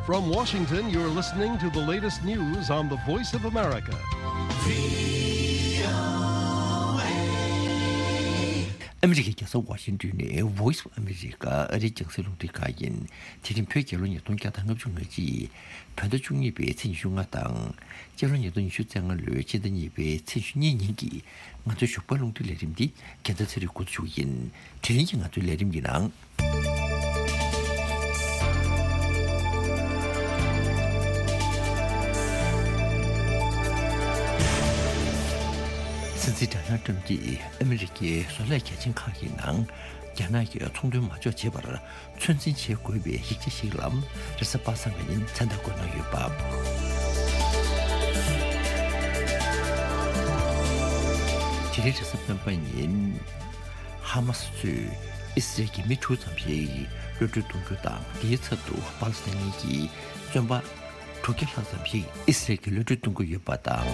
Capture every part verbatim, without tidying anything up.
From Washington, you're listening to the latest news on the Voice of America. ཨ་མི་རི་ཀའི་རྒྱལ་ས་ཝ་ཤིང་ཏོན་ནས་Voice of America ཨ་རིའི་རྒྱང་སྲིང་རླུང་འཕྲིན་ཁང་ཡིན། དེ་རིང་བོད་རྒྱལ་ལོ་ཉིས་སྟོང་བརྒྱ་དང་ལྔ་བཅུ་ང་གཅིག་བོད་ཟླ་བཅུ་གཉིས་པའི་ཚེས་ཉི་ཤུ་ལྔ་དང་། སྤྱི་ལོ་ཉིས་སྟོང་ཉི་ཤུ་རྩ་ལྔ་ལོའི་ཕྱི་ཟླ་གཉིས་པའི་ཚེས་ཉི་ཤུ་གཉིས་ཉིན་གྱི་ང་ཚོའི་ཞོགས་པའི་རླུང་འཕྲིན་ལས་རིམ་འདི་རྒྱལ་མཚན་ཚེ་རིང་འགོ་འཛུགས་ཡིན། དེ་རིང་གི་ང་ཚོའི་ལས་རིམ་གྱི་ནང་། སྲིད་འཛིན་ཌོ་ནལ་ཊམ་གྱིས་ཨ་མི་རི་ཀའི་བཟོ་ལས་གལ་ཆེན་ཁག་གི་ནང་རྒྱ་ནག་གི་ཚོང་དོན་མ་འཇོག་བྱེད་པར་ཚོད་འཛིན་བྱེད་དགོས་པའི་ཡིག་ཆ་ཞིག་ལ་རེས་གཟའ་པ་སངས་ཀྱི་ཉིན་མཚན་རྟགས་བཀོད་གནང་ཡོད་པ། དེ་རིང་རེས་གཟའ་སྤེན་པ་ཉིན། ཧ་མ་སི་ཚོས་ཨི་སི་རེལ་གྱི་མི་དྲུག་ཙམ་ཞིག་གློད་གྲོལ་གཏོང་རྒྱུ་དང་། དེའི་ཚབ་ཏུ་པ་ལི་སི་ཐན་གྱི་བཙོན་པ་དྲུག་བརྒྱ་ལྷག་ཙམ་ཞིག་ཨི་སི་རེལ་གྱིས་གློད་གྲོལ་གཏོང་གི་ཡོད་པ་དང་།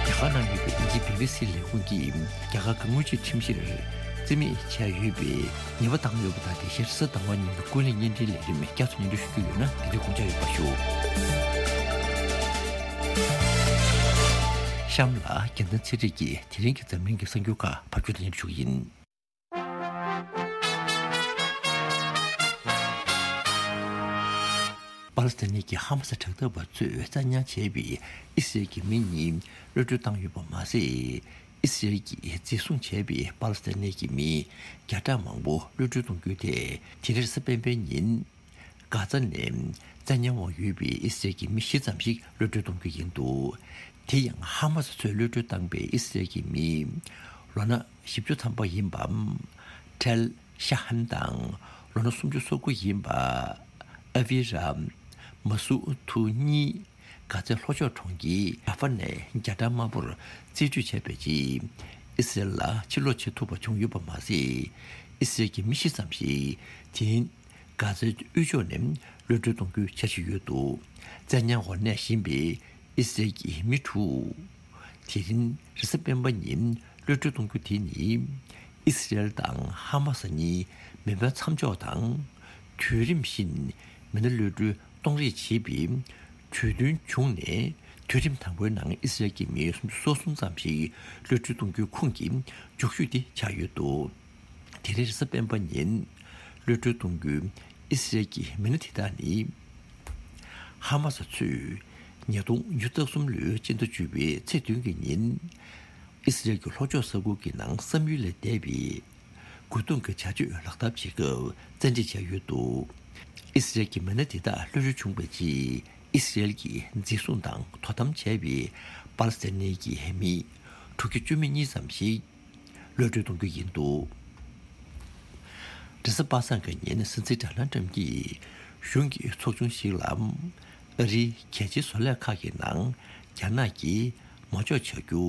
རྒྱ་གར་ནང་ཡོད་པའི་དབྱིན་ཇིའི་བི་བི་སི་ལས་ཁུངས་ཀྱིས་རྒྱ་གར་གྱི་དངུལ་ཆད་ཁྲིམས་གཞིར་རྩིས་མེད་བྱས་ཡོད་པའི་ཉེས་པ་བཏང་ཡོད་པ་དང་། དེ་བཞིན་རེས་གཟའ་ཟླ་བ་ཉིན་གྱི་ཀུན་གླེང་བརྙན་འཕྲིན་ལས་རིམ་བསྐྱར་དུ་སྙན་སྒྲོན་ཞུ་རྒྱུ་ཡོད་ན། དེ་དུས་དགོངས་འཇགས་ཡོད་པ་ཞུ། གཤམ་ལ་རྒྱལ་མཚན་ཚེ་རིང་གིས་དེ་རིང་གི་འཛམ་གླིང་གི་གསར་འགྱུར་ཁག་ཕབ་སྒྱུར་དང་སྙན་སྒྲོན་ཞུ་གི་ཡིན། པ་ལི་སི་ཐན་གྱི་ཧ་མ་སི་དྲག་འཐབ་པ་ཚོས་བཙན་ཉར་བྱས་པའི་ཨི་སི་རེལ་གྱི་མི་གཉིས་གློད་གྲོལ་བཏང་ཡོད་པ་མ་ཟད། ཨི་སི་རེལ་གྱིས་འཛིན་བཟུང་བྱས་པའི་པ་ལི་སི་ཐན་གྱི་མི་བརྒྱ་ཕྲག་མང་པོ་གློད་གྲོལ་གཏོང་རྒྱུ་དེ་དེ་རིང་རེས་གཟའ་སྤེན་པའི་ཉིན། གྷ་ཛ་ནས་བཙན་ཉར་འོག་ཡོད་པའི་ཨི་སི་རེལ་གྱི་མི་བཞི་ཙམ་ཞིག་གློད་གྲོལ་གཏོང་རྒྱུ་ཡིན་འདུག་དེ་ཡང་ཧ་མ་སི་ཚོས་གློད་གྲོལ་བཏང་པའི་ཨི་སི་རེལ་གྱི་མི་ལོ་ན་བཞི་བཅུ་ཐམ་པ་ཡིན་པ་ཁྲེལ་ཤ་ཧན་དང་ལོ་ན་སུམ་ཅུ་སོ་དགུ་ཡིན་པ་ཨ་བི་ར་མ་སུ་ཐུ་གཉིས་གྷ་ཛའི་ལྷོ་ཕྱོགས་གྲོང་ཁྱེར་ར་ཧྥ་ནས་རྒྱ་གྲམ་དམར་པོར་རྩིས་སྤྲོད་བྱས་པའི་རྗེས་ཨི་སི་རེལ་ལ་ཕྱིར་ལོག་བྱེད་ཐུབ་པ་བྱུང་ཡོད་པ་མ་ཟད། ཨི་སི་རེལ་གྱི་མི་བཞི་ཙམ་ཞིག་དེ་རིང་གྷ་ཛའི་དབུས་ཕྱོགས་ནས་གློད་གྲོལ་གཏོང་རྒྱུའི་འཆར་གཞི་ཡོད་འདུག་བཙན་ཉར་འོག་གནས་བཞིན་པའི་ཨི་སི་རེལ་གྱི་མི་དྲུག་དེ་རིང་རེས་གཟའ་སྤེན་པ་ཉིན་གློད་གྲོལ་གཏོང་རྒྱུ་དེ་ནི། ཨི་སི་རེལ་དང་ཧ་མ་སི་གཉིས་མེ་འཕེན་མཚམས་འཇོག་དང་། དུས་རིམ་བཞིན་མི་སྣ་གློད་གྲོལ་གཏོང་རེས་བྱེད་པའི་གྲོས་མཐུན་བྱུང་ནས། དུས་རིམ་དང་པོའི་ནང་ཨི་སི་རེལ་གྱི་མི་སུམ་ཅུ་སོ་གསུམ་ཙམ་ཞིག་གློད་གྲོལ་གཏོང་རྒྱུའི་ཁོངས་ཀྱི་མཇུག་ཤོས་དེ་ཆགས་ཡོད་འདུག་དེ་རིང་རེས་གཟའ་སྤེན་པ་ཉིན་གློད་གྲོལ་གཏོང་རྒྱུའི་ཨི་སི་རེལ་གྱི་མི་སྣ་དེ་དག་ནི། ཧ་མ་སི་ཚོས་ཉིས་སྟོང་ཉི་ཤུ་རྩ་གསུམ་ལོའི་སྤྱི་ཟླ་བཅུ་པའི་ཚེས་བདུན་གྱི་ཉིན། ཨི་སི་རེལ་གྱི་ལྷོ་ཕྱོགས་ས་ཁུལ་གྱི་ནང་བསམ་ཡུལ་ལས་འདས་པའི་རྒོལ་རྡུང་གི་བྱ་སྤྱོད་ལག་བསྟར་བྱེད་སྐབས་བཙན་ཁྲིད་བྱས་ཡོད་འདུག་ཨི་སི་རེལ་གྱི་མི་སྣ་དེ་དག་གློད་གྲོལ་བྱུང་བའི་རྗེས། ཨི་སི་རེལ་གྱིས་འཛིན་བཟུང་དང་དོ་དམ་བྱས་པའི་པ་ལི་སི་ཐན་གྱི་མི་དྲུག་བརྒྱ་བཅུ་མེད་གཉིས་ཙམ་ཞིག་གློད་གྲོལ་གཏོང་རྒྱུ་ཡིན་འདུག་རེས་གཟའ་པ་སངས་ཀྱི་ཉིན་སྲིད་འཛིན་ཌོ་ནལ་ཊམ་གྱིས་གཞུང་གི་ཚོགས་ཆུང་ཞིག་ལ། ཨ་རིའི་གལ་ཆེའི་བཟོ་ལས་ཁག་གི་ནང་རྒྱ་ནག་གིས་མ་འཇོག་བྱ་རྒྱུ་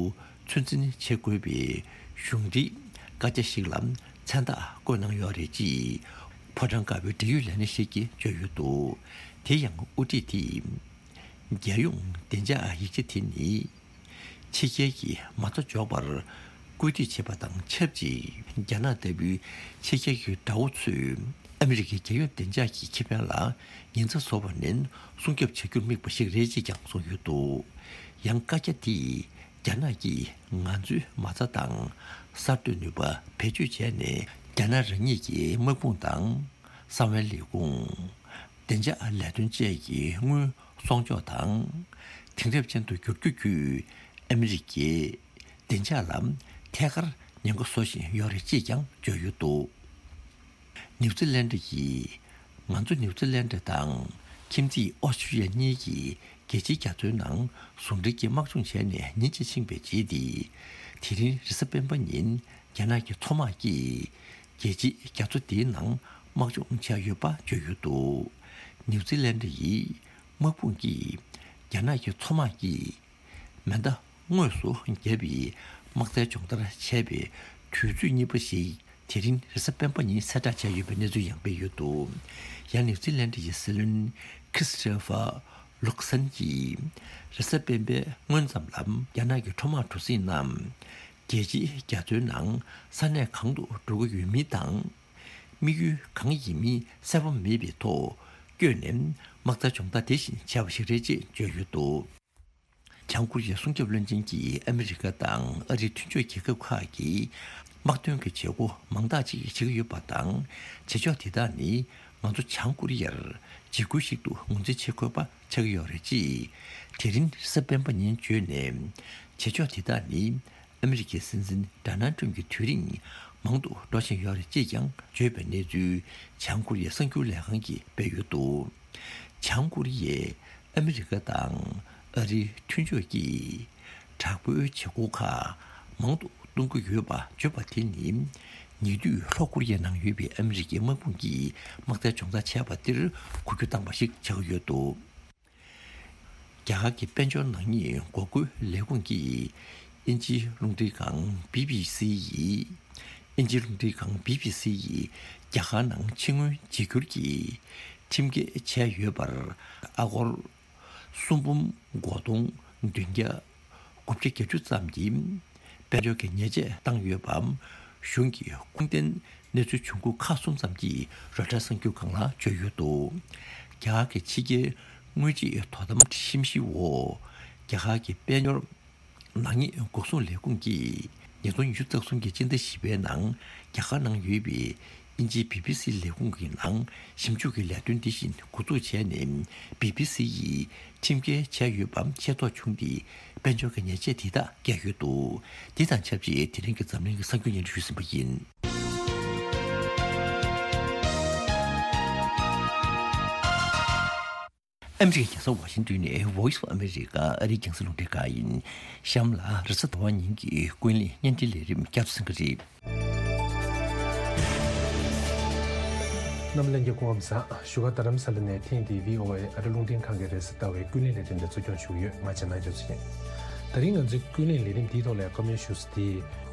ཚོད་འཛིན་བྱེད་དགོས་པའི་གཞུང་འབྲེལ་བཀའ་རྒྱ་ཞིག་ལ་མཚན་རྟགས་བཀོད་གནང་ཡོད་རེད་ཅེས་ཕོ་བྲང་དཀར་པོའི་འབྲེལ་ཡོད་ལས་སྣེ་ཞིག་གིས་བརྗོད་ཡོད་འདུག་དེ་ཡང་དབུ་ཁྲིད་དེས། རྒྱལ་ཡོངས་བདེ་འཇགས་ཡིག་ཆ་དེ་ནི། ཕྱི་རྒྱལ་གྱི་མ་རྩ་འཇོག་པར་སྐུལ་འདེད་བྱེད་པ་དང་ཆབས་ཅིག་རྒྱ་ནག་ལྟ་བུའི་ཕྱི་རྒྱལ་གྱི་དགྲ་བོ་ཚོས་ཨ་མི་རི་ཀའི་རྒྱལ་ཡོངས་བདེ་འཇགས་ཀྱི་ཁེ་ཕན་ལ་ཉེན་ཚབས་བཟོ་བ་ནས་སྲུང་སྐྱོབ་བྱ་རྒྱུར་དམིགས་པ་ཞིག་རེད་ཅེས་ཀྱང་གསུངས་ཡོད་འདུག་ཡང་བཀའ་རྒྱ་འདིས་རྒྱ་ནག་གིས་ང་ཚོའི་མ་རྩ་དང་གསར་གཏོད་ནུས་པ་བེད་སྤྱོད་བྱས་ནས། རྒྱ་ནག་རང་ཉིད་ཀྱི་དམག་དཔུང་དང་། གསང་བའི་ལས་ཁུངས། བདེ་འཇགས་ལས་དོན་བཅས་ཀྱི་དངུལ་གསོག་འཇོག་དང་། དེང་རབས་ཅན་དུ་བསྒྱུར་རྒྱུ་བརྒྱུད། ཨ་མི་རི་ཀའི་བདེ་འཇགས་ལ་ཐད་ཀར་ཉེན་ཁ་བཟོ་བཞིན་ཡོད་རེད་ཅེས་ཀྱང་བརྗོད་ཡོད་འདུག་ནིའུ་ཛི་ལན་ཌི་ཡིས། ང་ཚོ་ནིའུ་ཛི་ལན་ཌི་དང་ཁྱིམ་མཚེས་ཨོ་སི་ཀྲི་ཡ་གཉིས་ཀྱིས་རྒྱལ་སྤྱིའི་རྒྱ་མཚོའི་ནང་ཟུང་འབྲེལ་གྱིས་དམག་སྦྱོང་བྱས་ནས་ཉིན་གཅིག་ཕྱིན་པའི་རྗེས་ཏེ། དེ་རིང་རེས་གཟའ་སྤེན་པ་ཉིན་རྒྱ་ནག་གི་མཚོ་དམག་གིས། རྒྱལ་སྤྱིའི་རྒྱ་མཚོ་འདིའི་ནང་དམག་སྦྱོང་བྱས་ཡོད་པ་བརྗོད་ཡོད་འདུག་ནིའུ་ཛི་ལན་ཌི་ཡི་དམག་དཔུང་གིས་རྒྱ་ནག་གི་མཚོ་དམག་གིས་མེ་མདའ་དངོས་སུ་བརྒྱབ་པའི་དམག་རྩལ་སྦྱོང་བརྡར་བྱས་པའི་དུས་ཚོད་གཉིས་པ་ཞིག་དེ་རིང་རེས་གཟའ་སྤེན་པ་ཉིན་གསལ་བསྒྲགས་བྱས་ཡོད་པའི་གནས་ཚུལ་ཡང་སྤེལ་ཡོད་འདུག་ཡང་ནིའུ་ཛི་ལན་ཌི་ཡི་སྲིད་བློན་ཁྲི་སི་ཊོ་ཕར་ལུག་སན་གྱིས་རེས་གཟའ་སྤེན་པའི་སྔོན་ཙམ་ལ་རྒྱ་ནག་གི་མཚོ་དམག་གྲུ་གཟིངས་རྣམས། རྒྱལ་སྤྱིའི་རྒྱ་མཚོའི་ནང་ས་གནས་གང་དུ་འགྲོ་གི་ཡོད་མིན་དང་། དམིགས་ཡུལ་གང་ཡིན་མིན་གསལ་པོ་མེད་པའི་ཐོག་བསྐྱོད་ནས་དམག་རྩལ་སྦྱོང་བརྡར་དེ་བཞིན་བྱས་པ་ཞིག་རེད་ཅེས་བརྗོད་ཡོད་འདུག། བྱང་ཀོ་རི་ཡའི་སྲུང་སྐྱོབ་བློན་ཆེན་གྱིས་ཨ་མི་རི་ཀ་དང་ཨ་རིའི་མཐུན་ཕྱོགས་རྒྱལ་ཁབ་ཁག་གིས་དམག་དོན་གྱི་བྱེད་སྒོ་མང་དག་ཅིག་བྱེད་ཀྱི་ཡོད་པ་དང་། བྱེད་ཕྱོགས་དེ་དག་ནི་ང་ཚོ་བྱང་ཀོ་རི་ཡར་འཇིགས་སྐུལ་ཞིག་ཏུ་ངོས་འཛིན་བྱེད་དགོས་པ་ཆགས་ཀྱི་ཡོད་རེད་ཅེས་དེ་རིང་གཟའ་སྤེན་པ་ཉིན་བརྗོད་ནས། བྱེད་ཕྱོགས་དེ་དག་ནི་ཨ་མི་རི་ཀའི་སྲིད་འཛིན་ཌོ་ནལ་ཊམ་གྱི་དུས་རིང་མང་དུ་འགྲོ་བཞིན་ཡོད་རེད་ཅེས་ཀྱང་བརྗོད་པའི་གནས་ཚུལ་བྱང་ཀོ་རི་ཡའི་གསར་འགྱུར་ལས་ཁང་གིས་སྤེལ་ཡོད་འདུག། བྱང་ཀོ་རི་ཡས་ཨ་མི་རི་ཀ་དང་ཨ་རིའི་མཐུན་ཕྱོགས་ཀྱི་དྲག་པོའི་བྱེད་སྒོ་ཁག་མང་དུ་གཏོང་གི་ཡོད་པ་བརྗོད་པ་དེ་ནི། ཉེ་དུས་ལྷོ་ཀོ་རི་ཡའི་ནང་ཡོད་པའི་ཨ་མི་རི་ཀའི་དམག་དཔུང་གིས་དམག་རྩལ་སྦྱོང་བརྡར་བྱས་པ་དེར་གོ་རྒྱུ་བཏང་པ་ཞིག་ཆགས་ཀྱི་ཡོད་འདུག། རྒྱ་གར་གྱི་དཔལ་འབྱོར་ནག་ཉེས་འགོག་རྒོལ་ལས་ཁུངས་ཀྱིས་དབྱིན་ཇིའི་རླུང་འཕྲིན་ཁང་བི་བི་སི་ཡིས། དབྱིན་ཇིའི་རླུང་འཕྲིན་ཁང་བི་བི་སི་ཡིས་རྒྱ་གར་ནང་ཕྱི་དངུལ་བརྗེ་སྒྱུར་གྱི་ཁྲིམས་འགལ་བྱས་ཡོད་པར། ཨ་སྒོར་སུམ་འབུམ་གོ་སྟོང་བདུན་བརྒྱ་དགུ་བརྒྱ་བརྒྱད་ཅུ་ཙམ་གྱི་དཔལ་འབྱོར་གྱི་ཉེས་ཆད་བཏང་ཡོད་པའམ། གཞུང་གི་ཁུངས་ལྡན་གནས་ཚུལ་བྱུང་ཁུངས་ཁག་གསུམ་ཙམ་གྱིས་རོའི་ཊར་གསར་འགྱུར་ཁང་ལ་བརྗོད་ཡོད་འདུག། རྒྱ་གར་གྱི་ཕྱི་རྒྱལ་དངུལ་རྩིས་དོ་དམ་ཞིབ་བཤེར་འོག། རྒྱ་གར་གྱི་དཔལ་འབྱོར་ནག་ཉེས་འགོག་སྲུང་ལས་ཁུངས་ཀྱིས་ཉིས་སྟོང་ཉི་ཤུ་རྩ་གསུམ་གྱི་སྤྱི་ཟླ་བཞི་པའི་ནང་རྒྱ་གར་ནང་ཡོད་པའི་དབྱིན་ཇིའི་བི་བི་སི་ལས་ཁུངས་ཀྱི་ནང་ཞིབ་འཇུག་གི་ལས་དོན་འདི་བཞིན་འགོ་འཛུགས་བྱས་ནས། བི་བི་སི་ཡིས་ཁྲིམས་འགལ་བྱས་ཡོད་པའམ་ཤེས་རྟོགས་བྱུང་སྟེ། དཔལ་འབྱོར་གྱི་ཉེས་ཆད་དེ་དག་བཀལ་ཡོད་འདུག། དེ་དང་ཆབས་ཅིག་དེ་རིང་གི་འཛམ་གླིང་གི་གསར་འགྱུར་སྙན་སྒྲོན་ཞུས་ཟིན་པ་ཡིན། ཨ་མི་རི་ཀའི་རྒྱལ་ས་ཝ་ཤིང་ཏོན་ནས་Voice of America ཨ་རིའི་རྒྱང་སྲིང་རླུང་འཕྲིན་ཁང་ཡིན། གཤམ་ལ་རེས་གཟའ་ཟླ་བ་ཉིན་གྱི་ཀུན་གླེང་བརྙན་འཕྲིན་ལས་རིམ་བསྐྱར་དུ་གསན་གྱི་རེད། རྣམ་པ་ལྷན་རྒྱས་སྐུ་ཁམས་བཟང་། བཞུགས་སྒར་རྡ་རམ་ས་ལ་ནས་ཐེངས་འདིའི་ཝི་ཨོ་ཨེ་ཨ་རི་རླུང་འཕྲིན་ཁང་གི་རེས་གཟའ་ཟླ་བའི་ཀུན་གླེང་ལས་རིམ་དེ་ཚོ་སྐྱོང་ཞུ་གི་ཡོད། ང་རྒྱ་ནག་ཡོད་ཚེ་ཡིན། དེ་རིང་ང་ཚོའི་ཀུན་གླེང་ལས་རིམ་འདིའི་ཐོག་ལ་བཀའ་མོལ་ཞུ་ས་དེ།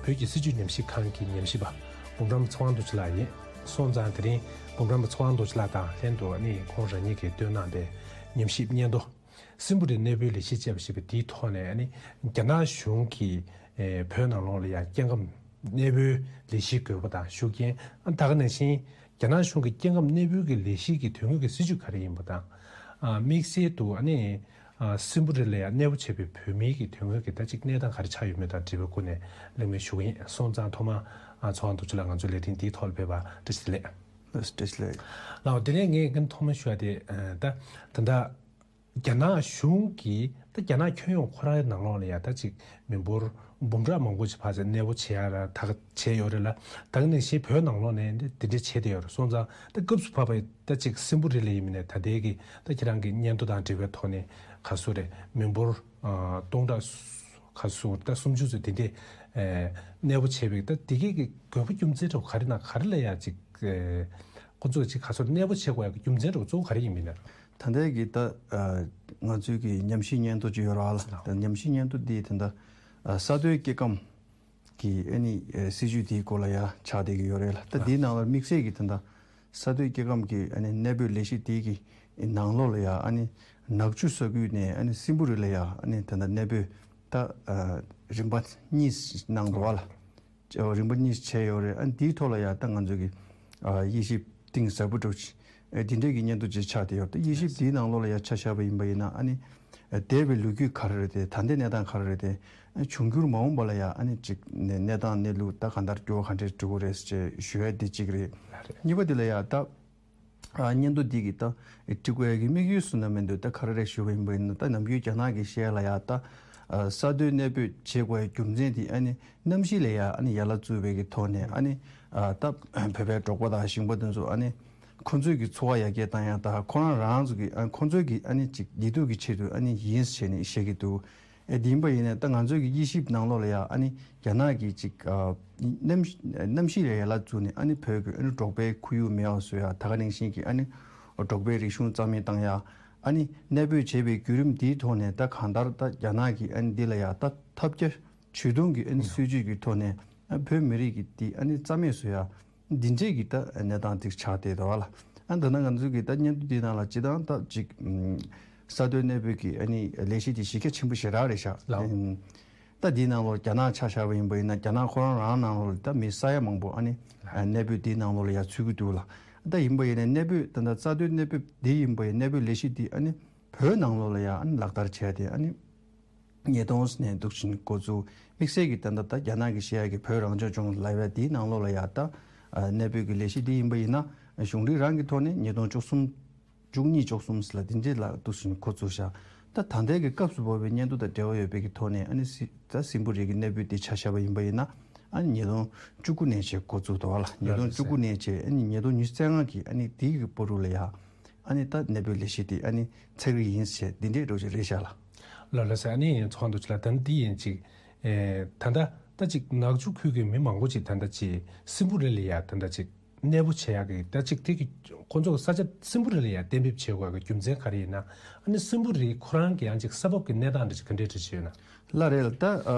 བོད་ཀྱི་སྲིད་བྱུས་ཉམས་ཞིབ་ཁང་གི་ཉམས་ཞིབ་པ་འབུམ་རམས་ཚེ་དབང་རྡོ་རྗེ་ལགས་ཡིན། སོང་ཙང་དེ་རིང་འབུམ་རམས་པ་ཚེ་དབང་རྡོ་རྗེ་ལགས་དང་ལྷན་དུ་ནི་ཁོང་རང་ཉིད་ཀྱིས་བཏོན་གནང་པའི་ཉམས་ཞིབ་སྙན་ཐོ། སྲིན་པོ་རི་གནས་སྤོའི་ལས་གཞི་ཅེས་པ་ཞེས་པ་དེའི་ཐོག་ནས་ནི་རྒྱ་ནག་གཞུང་གིས་ཨེ་བོད་ནང་ལོགས་ལ་ཡང་སྐྱེ་ཁམས་གནས་སྤོའི་ལས་གཞིའི་དགོས་པ་དང་ཤུགས་རྐྱེན། ད་ག་ནང་བཞིན་རྒྱ་ནག་གཞུང་གི་སྐྱེ་ཁམས་གནས་སྤོའི་གི་ལས་གཞི་གི་དོན་དངོས་ཀྱི་སྲིད་བྱུས་ག་རེ་ཡིན་པ་དང་། ཨ་དམིགས་བསལ་དུ་ཨ་ནི་ཨ་སྲིན་པོ་རི་ལ་ཡང་གནས་སྤོ་བྱས་པའི་བོད་མིའི་གི་དོན་དངོས་ཀྱི་ད་ཅིག་གནས་སྟངས་ག་རེ་ཆགས་ཡོད་མེད་དང་འབྲེལ་བའི་སྐོར་ནས་གླེང་མོལ་ཞུ་གི་ཡིན། སོང་ཙང་ཐོག་མར་ཨ་ཚེ་དབང་རྡོ་རྗེ་ལགས་ང་ཚོའི་ལས་རིམ་འདིའི་ཐོག་ལ་ཕེབས་པར་བཀྲ་ཤིས་བདེ་ལེགས། ལགས་བཀྲ་ཤིས་བདེ་ལེགས། ལགས་དེ་ནས་ངས་ངས་ཐོག་མར་ཞུ་ཡ་དེ་ཨ་ད་ད་ལྟ་རྒྱ་ནག་གཞུང་གིས་ད་རྒྱ་ནག་ཁྱོན་ཡོངས་ཁོ་རང་ནང་ལོགས་ལ་ཡ་ད་ཅིག་མི་འབོར་འབུམ་ཕྲག་མང་པོ་ཅིག་ཕར་ཚུར་གནས་སྤོ་བྱེད་ཡ་ར་ད་ག་བྱས་ཡོད་རེད་ལ། ད་ག་ནང་བཞིན་བོད་ནང་ལོགས་ནས་འདི་འདི་འདྲ་བྱས་བསྡད་ཡོད་རེད། སོང་ཙང་ད་སྐབས་སུ་བབས་པའི་ད་ཅིག་སྲིན་པོ་རི་ལ་ཡིན་མིན་ནས་ད་ལྟའི་གི་ད་ཁྱེད་རང་གི་སྙན་ཐོ་དང་འབྲེལ་བའི་ཐོག་ནས་ག་ཚོད་རེད། མི་འབོར་ཨ་སྟོང་ཕྲག་ག་ཚོད་ད་སུམ་ཅུ་ཚོད་དེ་འདྲས་ཨེ་གནས་སྤོ་བྱས་པའི་ད་དེ་གའི་གི་དགོས་པ་རྒྱུ་མཚན་འདྲ་བོ་ག་རེ་ན་ག་རེ་ལ་ཡ་ཅིག་ཨེ་ཁོ་ཚོས་ཅིག་ག་ཚོད་གནས་སྤོ་བྱེད་དགོས་ཡ་གི་རྒྱུ་མཚན་འདྲ་བོ་གཙོ་བོ་ག་རེ་ཡིན་མིན་ནས། ད་ལྟའི་གི་ད་ཨ་ང་ཚོའི་གི་ཉམས་ཞིབ་སྙན་ཐོ་ཅིག་ཡོད་རེད་བ་ལ། ད་ཉམས་ཞིབ་སྙན་ཐོ་འདི་ད་ལྟ་ཨ་ས་མཐོའི་སྐྱེ་ཁམས་ཀྱི་ཨ་ནི་ཨ་སྲིད་ཇུས་དེའི་སྐོར་ལ་ཡ་ཆགས་བསྡད་ཀྱི་ཡོད་རེད་ལ། ད་འདིའི་ནང་ལ་དམིགས་བསལ་གྱི་ད་ལྟ་ས་མཐོའི་སྐྱེ་ཁམས་ཀྱི་ཨ་ནི་གནས་སྤོའི་ལས་གཞི་དེའི་གི་ནང་ལོགས་ལ་ཡ་ཨ་ནི་ནག་ཆུ་ས་ཁུལ་ནས་ཨ་ནི་སྲིན་པོ་རི་ལ་ཡ་ཨ་ནི་ད་ལྟ་གནས་སྤོས་ད་ཨ་རིམ་པ་གཉིས་གནང་འདུག་བ་ལ། རིམ་པ་གཉིས་བྱས་ཡོད་རེད། ཨ་འདིའི་ཐོག་ལ་ཡང་ད་ང་ཚོ་གི་ཨ་དབྱེ་ཞིབ་གཏིང་ཟབ་པོ་འགྲོ་ཆེ་ཨ་འདི་འདྲའི་གི་སྙན་ཐོ་ཅིག་ཆགས་བསྡད་ཡོད་རེད། ད་དབྱེ་ཞིབ་འདིའི་ནང་ལོགས་ལ་ཡང་ཆ་བཞག་པ་ཡིན་པ་ཡིན་ན་ཨ་ནི་ཨ་འདས་པའི་ལོ་རྒྱུས་ག་རེ་རེད་དེ། ད་ལྟའི་གནས་སྟངས་ག་རེ་རེད་དེ། ཨ་འབྱུང་འགྱུར་མ་འོངས་པ་ལ་ཡང་ཨ་ནི་ཅིག་ནས་གནས་སྟངས་གནས་ལུགས་ད་གང་ལྟར་འགྱུར་བ་ག་འདྲས་འགྲོ་གི་རེད་ཅེས་ཞུ་ཡ་འདི་གཅིག་རེད། གཉིས་པ་འདི་ལ་ཡང་ད། ཨ་སྙན་ཐོ་འདི་གི་ད་འབྲི་དགོས་ཡ་གི་དམིགས་ཡུལ་སུ་ན་མི་འདུག། ད་ག་རེ་རེད་ཞུ་བ་ཡིན་པ་ཡིན་ན། ད་ནམ་རྒྱུན་རྒྱ་ནག་གི་ཤེས་ཡ་ལ་ཡ་ད་ཨ་ས་མཐོའི་གནས་སྤོས་བྱེད་དགོས་ཡ་རྒྱུ་མཚན་འདི་ཨ་ནི་གནམ་གཤིས་ལ་ཡ་ཨ་ནི་ཡ་ལ་བཙུགས་པའི་གི་ཐོག་ནས་ཨ་ནི་ཨ་ད་བོད་པའི་འབྲོག་པ་དང་ཞིང་པ་དེ་ཚོ་ཨ་ནི་ཁོ་ཚོའི་གི་འཚོ་བ་ཡར་རྒྱས་བཏང་ཡ་ད་ཁོ་རང་རང་ཚོ་གི་ཨ་ཁོ་ཚོའི་གི་ཨ་ནི་ཅིག་བདེ་སྡུག་གི་ཆེད་དུ་ཨ་ནི་ཡིན་ཟེར་ནས་བཤད་ཀྱི་འདུག། ཨེ་དེ་ཡིན་པ་ཡིན་ན་ད་ང་ཚོའི་གི་དབྱེ་ཞིབ་ནང་ལོགས་ལ་ཡང་ཨ་ནི་རྒྱ་ནག་གི་ཅིག་ཨ་གནམ་གནམ་གཤིས་ལ་ཡ་ལ་བཙུགས་ནས་ཨ་ནི་བོད་ཀྱི་ཨ་ནི་འབྲོག་པའི་ཁོར་ཡུག་མེད་པ་བཟོ་ཡ། ད་ག་ནང་བཞིན་གྱི་ཨ་ནི་འབྲོག་པའི་རིག་གཞུང་རྩ་མེད་བཏང་ཡ། ཨ་ནི་གནས་སྤོས་བྱས་པའི་བརྒྱུད་རིམ་འདིའི་ཐོག་ནས་ད་གང་ལྟར་ད་རྒྱ་ནག་གི་ཨ་ནི་འདི་ལ་ཡ་ད་ཐབས་བརྒྱ་ཇུས་སྟོང་གི་ཨ་ནི་སྲིད་ཇུས་ཀྱི་ཐོག་ནས་ཨ་བོད་མི་རིགས་ཀྱི་འདི་ཨ་ནི་རྩ་མེད་བཟོ་ཡ། འདི་འདྲས་ཀྱི་ད་གནས་སྟངས་ཅིག་ཆགས་བསྡད་འདུག་བ་ལ། ཨ་ད་ནང་ང་ཚོ་གི་ད་སྙན་ཐོ་འདི་ནང་ལ་སྤྱིར་བཏང་ད་ཅིག་ཨམ་ས་མཐོའི་གནས་སྤོས་ཀྱི་ཨ་ནི་ལས་གཞི་འདི་གཞི་རྒྱ་ཆེན་པོ་ཞེ་དྲག་རེད་ཤག། ལགས། ཨམ་ ད་འདིའི་ནང་ལོགས་རྒྱ་ནག་ཆ་བཞག་པ་ཡིན་པ་ཡིན་ན། རྒྱ་ནག་ཁོ་རང་རང་ནང་ལོགས་ལ་ད་མི་ས་ཡ་མང་པོ་ཨ་ནི་གནས་སྤོས་འདིའི་ནང་ལོགས་ལ་ཡ་ཚུད་ཀྱི་འདུག་ལ། ད་ཡིན་པ་ཡིན་ན་གནས་སྤོས་ད་ད་རྩ་དོན་གནས་སྤོས་འདི་ཡིན་པ་ཡིན། གནས་སྤོས་ལས་གཞི་འདི་ཨ་ནི་བོད་ནང་ལོགས་ལ་ཡ་ཨ་ནི་ལག་བསྟར་བྱས་ཏེ། ཨ་ནི་ཉིས་སྟོང་ནས་འདུག་ཕྱིན་འགོ་བཙུགས། དམིགས་བསལ་གྱི་ད་ད་ད་རྒྱ་ནག་གི་བཤད་ཡ་གི་བོད་རང་སྐྱོང་ལྗོངས་ལབ་ཡ་འདིའི་ནང་ལོགས་ལ་ཡ་ད་གནས་སྤོས་ཀྱི་ལས་གཞི་འདི་ཡིན་པ་ཡིན་ན། གཞུང་འབྲེལ་རང་གི་ཐོག་ནས་ཉིས་སྟོང་བཅུ་གསུམ། བཅུ་གཉིས་བཅུ་གསུམ་ལ་འདི་འདྲས་ལ་འདུག་ཕྱིན་འགོ་བཙུགས་ཤག་ད་ད་ལྟའི་གི་སྐབས་སུ་བབས་པའི་སྙན་ཐོ་དང་འབྲེལ་བ་ཡོད་པའི་གི་ཐོག་ནས། ཨ་ནི་སི་ད་སྲིན་པོ་རི་གི་གནས་སྤོས་འདི་ཆ་བཞག་པ་ཡིན་པ་ཡིན་ན། ཨ་ནི་ཉིས་སྟོང་བཅུ་དགུ་ནས་བྱས་འགོ་བཙུགས་འདུག་བ་ལ། ཉིས་སྟོང་བཅུ་དགུ་ནས་བྱས། ཨ་ནི་ཉིས་སྟོང་ཉི་ཤུ་རྩ་ལྔ་གི་ཨ་ནི་འདི་གི་བར་དུ་ལ་ཡ། ཨ་ནི་ད་གནས་སྤོས་ལས་གཞི་འདི་ཨ་ནི་ཚར་གི་ཡིན་ཟེར་འདི་འདྲས་འདྲ་ཅིག་རེད་ཤག་ལ། ལགས་ལགས་སེ། ཨ་ནི་ཚོགས་འདུ་ཅིག་ལ་ད་འདི་ཡིན་ཅིག་ཨེ། ད་ལྟ་ད་ཅིག་ནག་ཆུ་ཁུལ་གྱི་མི་མང་པོ་ཅིག་ད་ལྟ་ཅིག་སྲིན་པོ་རི་ལ་ཡ་ད་ལྟ་ཅིག་གནས་སྤོ་བྱེད་ཡག་གི་ད་ཅིག་དེ་གི་ཁོ་ཚོ་གི་ས་ཆ་སྲིན་པོ་རི་ལ་ཡ་གཏན་འབེབས་བྱེད་དགོས་ཀྱི་རྒྱུ་མཚན་ག་རེ་ཡིན་ན། ཨ་ནི་སྲིན་པོ་རི་ཁོ་རང་གི་ཡང་ཅིག་ས་བབ་ཀྱི་གནས་སྟངས་འདྲ་ཅིག་ག་འདྲས་འདྲ་ཅིག་ཡོད་ན། ལགས་རེད་ལ། ད་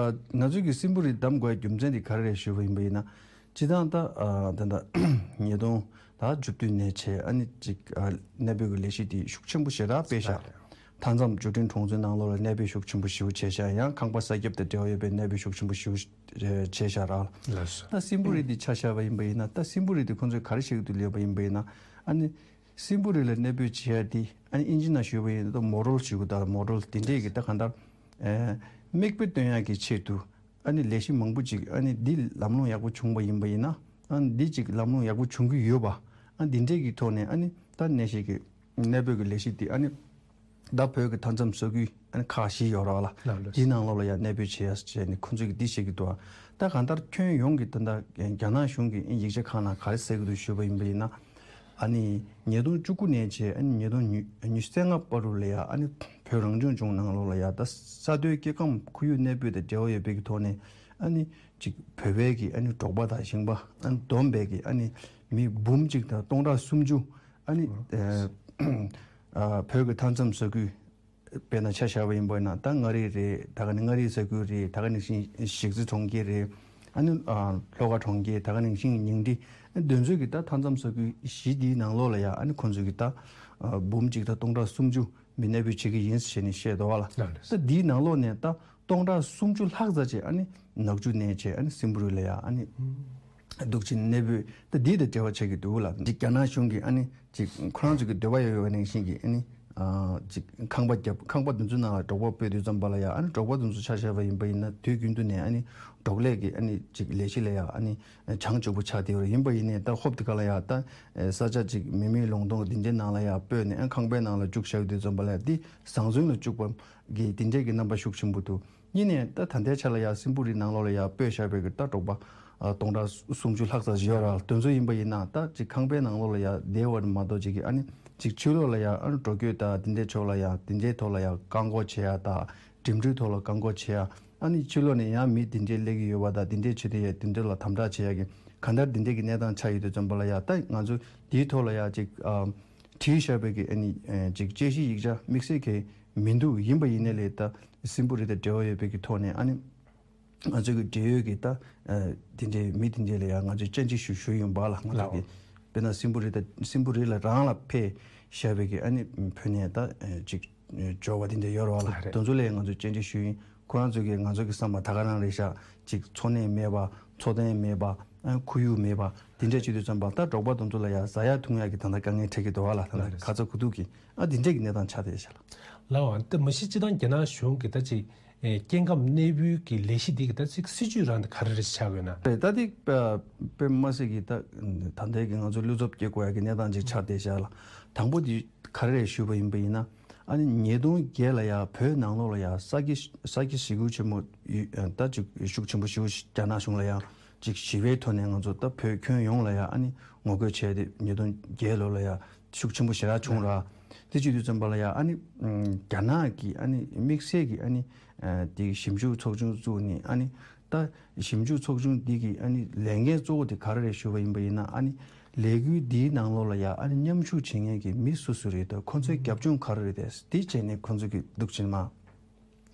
ང་ཚོས་ཀྱི་སྲིན་པོ་རི་བདམས་དགོས་རྒྱུ་མཚན་དེ་ག་རེ་རེད་ཞུས་པ་ཡིན་པ་ཡིན་ན། སྤྱིར་བཏང་ད་ད་ད་ཉིས་སྟོང་ད་བཅུ་བདུན་ནས་བྱས། ཨ་ནི་ཅིག་གནས་སྤོས་ཀྱི་ལས་གཞི་དེ་ཤུགས་ཆེན་པོ་ཞེ་དྲག་སྤེལ་ཤག་མཐའ་མཚམས་འབྱོར་འབྲིང་གྲོང་ཚོའི་ནང་ལོགས་ལ་གནས་སྤོས་ཤུགས་ཆེན་པོ་ཞེ་པོ་བྱས་ཤག་ཡང་ཁང་པ་གསར་རྒྱབ་དང་འབྲེལ་བ་ཡོད་པའི་གནས་སྤོས་ཤུགས་ཆེན་པོ་ཞེ་པོ་བྱས་ཤག་ར། ལགས་སོ། ད་སྲིན་པོ་རི་འདི་ཆ་བཞག་པ་ཡིན་པ་ཡིན་ན། ད་སྲིན་པོ་རི་འདི་ཁོང་ཚོས་ག་རེ་བྱེད་ཀྱི་འདུག་ལབ་པ་ཡིན་པ་ཡིན་ན། ཨ་ནི་སྲིན་པོ་རི་ལ་གནས་སྤོས་བྱེད་ཡ་འདི་ཨ་ནི་ཨིན་ཇི་ནང་ཞུས་པ་ཡིན་ན་ད་མོ་ཌལ་ཞུ་གི། ད་མོ་ཌལ་འདི་འདྲས་ཀྱི་ད་གང་ལྟར་ཨེ་མིག་དཔེ་སྟོན་ཡ་གི་ཆེད་དུ། ཨ་ནི་ལས་གཞི་མང་པོ་ཅིག་ཨ་ནི་འདི་ལམ་ལྷོང་ཡག་པོ་བྱུང་བ་ཡིན་པ་ཡིན་ན། ཨ་ནི་འདི་ཅིག་ལམ་ལྷོང་ཡག་པོ་བྱུང་གི་ཡོད་པ། ཨ་འདི་འདྲས་ཀྱི་ཐོག་ནས་ཨ་ནི་ད་གནས་གཞི་གི་གནས་སྤོས་ཀྱི་ལས་གཞི་འདི་ཨ་ནི་ད་བོད་ཀྱི་མཐའ་མཚམས་ས་ཁུལ་ཨ་ནི་ཁག་བཞི་ཡོད་རེད་བ་ལ། ལགས་ལགས། འདིའི་ནང་ལོགས་ལ་ཡང་གནས་སྤོས་བྱེད་ཡ་བྱས་ནས་ཁོང་ཚོས་ཀྱི་འདི་བྱེད་ཀྱི་འདུག་ད་གང་ལྟར་ཁྱོན་ཡོངས་ཀྱི་ད་ལྟ་རྒྱ་ནག་གཞུང་གི་ཡིག་ཆ་ཁག་ནང་ག་རེ་གསལ་གྱི་འདུག་ཞུས་པ་ཡིན་པ་ཡིན་ན། ཨ་ནི་ཉིས་སྟོང་བཅུ་དགུ་ནས་བྱས། ཨ་ནི་ཉིས་སྟོང་ཉི་ཤུ་རྩ་ལྔ་བར་དུ་ལ་ཡ། ཨ་ནི་བོད་རང་སྐྱོང་ལྗོངས་ནང་ལོགས་ལ་ཡ་ད་ས་མཐོའི་སྐྱེ་ཁམས་ཁོར་ཡུག་གནས་སྤོས་དང་འབྲེལ་བ་ཡོད་པའི་གི་ཐོག་ནས། ཨ་ནི་ཅིག་བོད་པའི་གི་ཨ་ནི་འབྲོག་པ་དང་ཞིང་པ་ཨ་ནི་བསྡོམས་པའི་གི་ཨ་ནི་མི་འབུམ་གཅིག་དང་སྟོང་ཕྲག་སུམ་ཅུ། ཨ་ནི་ཨ་ཨ་བོད་ཀྱི་མཐའ་མཚམས་ས་ཁུལ། དཔེར་ན་ཆ་བཞག་པ་ཡིན་པ་ན། ད་མངའ་རིས་རེད། ད་ག་ནི་མངའ་རིས་ས་ཁུལ་རེད། ད་ག་ནང་བཞིན་གཞིས་རྩེ་གྲོང་ཁྱེར་རེད། ཨ་ནི་ཨ་ལྷོ་ཁ་གྲོང་ཁྱེར། ད་ག་ནང་བཞིན་ཉིང་ཁྲི། ཨ་འདི་ཚོའི་གི་ད་མཐའ་མཚམས་ས་ཁུལ་བཞི་འདིའི་ནང་ལོགས་ལ་ཡ། ཨ་ནི་ཁོང་ཚོའི་གི་ད་ཨ་འབུམ་གཅིག་དང་སྟོང་ཕྲག་སུམ་ཅུ་མི་གནས་སྤོས་བྱེད་ཀྱི་ཡིན་ཟེར་ནས་བཤད་འདུག་བ་ལ། ལགས་ལགས། ད་འདིའི་ནང་ལོགས་ནས་ད་སྟོང་ཕྲག་སུམ་ཅུ་ལྷག་ཙམ་ཅིག་ཨ་ནི་ནག་ཆུ་ནས་བྱས། ཨ་ནི་སྲིན་པོ་རི་ལ་ཡ་ཨ་ནི་འདུག་ཅིང་གནས་སྤོས་ད་འདི་དང་འབྲེལ་བ་བྱེད་ཀྱི་འདུག་ལ། འདི་རྒྱ་ནག་གཞུང་གིས་ཨ་ནི་ཅིག་ཁོ་རང་ཚོ་གི་འདོད་པ་ཡོད་ཡོད་ནང་བཞིན་གྱི་ཨ་ནི་ཨ་ཅིག་ཁང་པ་བརྒྱབ། ཁང་པ་འདི་ཚོའི་ནང་ལ་འབྲོག་པ་སྤོས་དུས་ཙམ་པ་ལ་ཡ། ཨ་ནི་འབྲོག་པ་འདི་ཚོ་ཆ་བཞག་པ་ཡིན་པ་ཡིན་ན། དུས་རྒྱུན་དུ་ནས་ཨ་ནི་འབྲོག་ལས་ཀྱི་ཨ་ནི་ཅིག་ལས་གཞི་ལ་ཡ་ཨ་ནི་བྱང་ཆུབ་པོ་ཆགས་བསྡད་ཡོད་རེད། ཡིན་པ་ཡིན་ནའི་ད་ཧོབ་དེ་ག་ལ་ཡ་ད་ས་ཆ་ཅིག་མེ་མེ་ལོང་སྟོང་འདི་འདྲའི་ནང་ལ་ཡ་སྤོས་ནས། ཨ་ཁང་པའི་ནང་ལ་བཅུག་བཞག་དུས་ཙམ་པ་ལ་ཡ་འདི་བཟང་བཙོན་ལ་བཅུག་པ་གི་འདི་འདྲའི་གི་རྣམ་པ་ཤུགས་ཆེན་པོ་འདུག་གཉིས་ནས་ད་ད་ལྟའི་ཆ་ལ་ཡ་སྲིན་པོ་རི་ནང་ལོགས་ལ་ཡ་སྤོས་བཞག་པའི་གི་ད་འབྲོག་པ་ཨ་སྟོང་ཕྲག་སུམ་ཅུ་ལྷག་ཙམ་ཞིག་ཡོད་རེད། དེ་ཚོ་ཡིན་པ་ཡིན་ན་ད་ཅིག་ཁང་པའི་ནང་ལོགས་ལ་ཡ་བསྡད་པ་མ་གཏོགས་ཅིག་གི་ཨ་ནི་ཅིག་ཕྱི་ལོགས་ལ་ཡ་ཨ་ནི་འགྲོ་སྐྱོད་དང་འདི་འདྲའི་ཕྱོགས་ལ་ཡ། འདི་འདྲའི་ཐོག་ལ་ཡ་བཀག་འགོག་བྱེད་ཡ་དང་། འགྲིམ་འགྲུལ་ཐོག་ལ་བཀག་འགོག་བྱེད་ཡ། ཨ་ནི་ཕྱི་ལོགས་ནས་ཡང་མི་འདི་འདྲའི་སླེབས་ཀྱི་ཡོད་པ་དང་། འདི་འདྲའི་བྱེད་དེ་ཡ་འདི་འདྲ་ལ་དམ་དྲག་བྱེད་ཡ་གི་གང་ལྟར་འདི་འདྲའི་གི་གནས་སྟངས་ཆགས་ཡོད་དུས་ཙམ་པ་ལ་ཡ། ད་ང་ཚོ་འདིའི་ཐོག་ལ་ཡ་ཅིག་ཨ་བྲིས་བཞག་པའི་གི་ཨ་ནི་ཨ་ཅིག་དཔྱད་གཞི་ཡིག་ཆ་དམིགས་བསལ་གྱི་མི་འདུག་ཡིན་པ་ཡིན་ནའི་ལས་ད་སྲིན་པོ་རི་དང་འབྲེལ་བ་ཡོད་པའི་གི་ཐོག་ནས་ཨ་ནི་ང་ཚོ་གི་འབྲེལ་ཡོད་ཀྱི་ད་ཨ་དེ་འདྲའི་མི་དེ་འདྲའི་ལ་ཡང་ང་ཚོས་བཅར་འདྲི་ཞུ་ཞུས་ཡོང་བ་ལ། ང་ཚོ་གི་ལའོ། དཔེར་ན་སྲིན་པོ་རི་དང་སྲིན་པོ་རི་ལ་རང་ལ་ཕེབས་བཞག་པའི་གི་ཨ་ནི་བོད་ནས་ད་ཨ་ཅིག་འབྱོར་བ་དེ་འདྲ་ཡོད་རེད་བ་ལ། ལགས་རེད། དེ་ཚོ་ལ་ཡང་ང་ཚོས་བཅར་འདྲི་ཞུས་ཡིན། ཁོ་རང་ཚོ་གིས་ང་ཚོ་གི་བསམ་པ་ད་ག་རང་རེད་ཤག་ཅིག་འཚོ་གནས་མེད་པ། འཚོ་རྟེན་མེད་པ། ཨ་ཁོར་ཡུག་མེད་པ། དེ་འདྲ་བྱེད་དུས་ཙམ་པ་ད་འབྲོག་པ་དེ་ཚོ་ལ་ཡང་ཟ་ཡ་འཐུང་ཡ་གི་ད་ལྟ་དཀའ་ངལ་འཕྲད་ཀྱི་འདུག་བ་ལ། ད་ལྟ་ལགས་རེད། ཁ་ཚ་དགོས་གཏུགས་ཀྱི་ཨ་དེ་འདྲ་གི་གནས་སྟངས་ཆགས་བསྡད་ཤག་ལ། ལའོ། ཨ་ད་མ་གཞི་སྤྱིར་བཏང་རྒྱ་ནག་གཞུང་གི་ད་ཅིག་ཨེ་སྐྱེ་ཁམས་གནས་སྤོའི་གི་ལས་གཞི་འདི་གི་ད་ཅིག་སྲིད་ཇུས་རང་འདི་ག་རེ་རེ་ཆགས་ཡོད་ན། རེད། ད་འདི་དཔེ་དཔེ་མ་སྲིད་ཀྱི་ད་ད་ལྟའི་གི་ང་ཚོ་བློ་འཚབ་སྐྱེ་དགོས་ཡ་གི་གནས་སྟངས་ཅིག་ཆགས་བསྡད་ཤག་ལ། དང་པོ་འདི་ག་རེ་རེ་ཞུས་པ་ཡིན་པ་ཡིན་ན། ཨ་ནི་ཉིས་སྟོང་བརྒྱད་ལ་ཡ་བོད་ནང་ལོགས་ལ་ཡ་ས་སྐྱ་ས་སྐྱ་ཞི་རྒོལ་ཆེན་མོ་ཡོད། ད་ཅིག་ཤུགས་ཆེན་པོ་ཞིག་རྒྱ་ནག་གཞུང་ལ་ཡ་ཅིག་ཞི་བའི་ཐོག་ནས་ང་ཚོ་ད་བོད་ཁྱོན་ཡོངས་ལ་ཡ་ཨ་ནི་ངོ་རྒོལ་བྱས་ཏེ་ཉིས་སྟོང་བརྒྱད་ལོ་ལ་ཡ་ཤུགས་ཆེན་པོ་ཞེ་དྲག་བྱུང་ར། དེ་བྱེད་དུས་ཙམ་པ་ལ་ཡ་ཨ་ནི་རྒྱ་ནག་གི་ཨ་ནི་དམིགས་བསལ་གྱི་ཨ་ནི་དེ་ཞིབ་འཇུག་ཚོགས་ཆུང་བཙུགས་ནས། ཨ་ནི་ད་ཞིབ་འཇུག་ཚོགས་ཆུང་འདི་གི་ཨ་ནི་ལས་འགན་གཙོ་བོ་དེ་ག་རེ་རེད་ཞུ་བ་ཡིན་པ་ཡིན་ན། ཨ་ནི་ལས་འགུལ་འདིའི་ནང་ལོགས་ལ་ཡ་ཨ་ནི་མཉམ་ཞུགས་བྱེད་མཁན་གྱི་མི་སུ་སུ་རེད་དང་། ཁོ་ཚོའི་རྒྱབ་ལྗོངས་ག་རེ་རེད་དེ་དེ་བྱས་ནས་ཁོ་ཚོ་གི་འདུག་ཕྱིན་མ།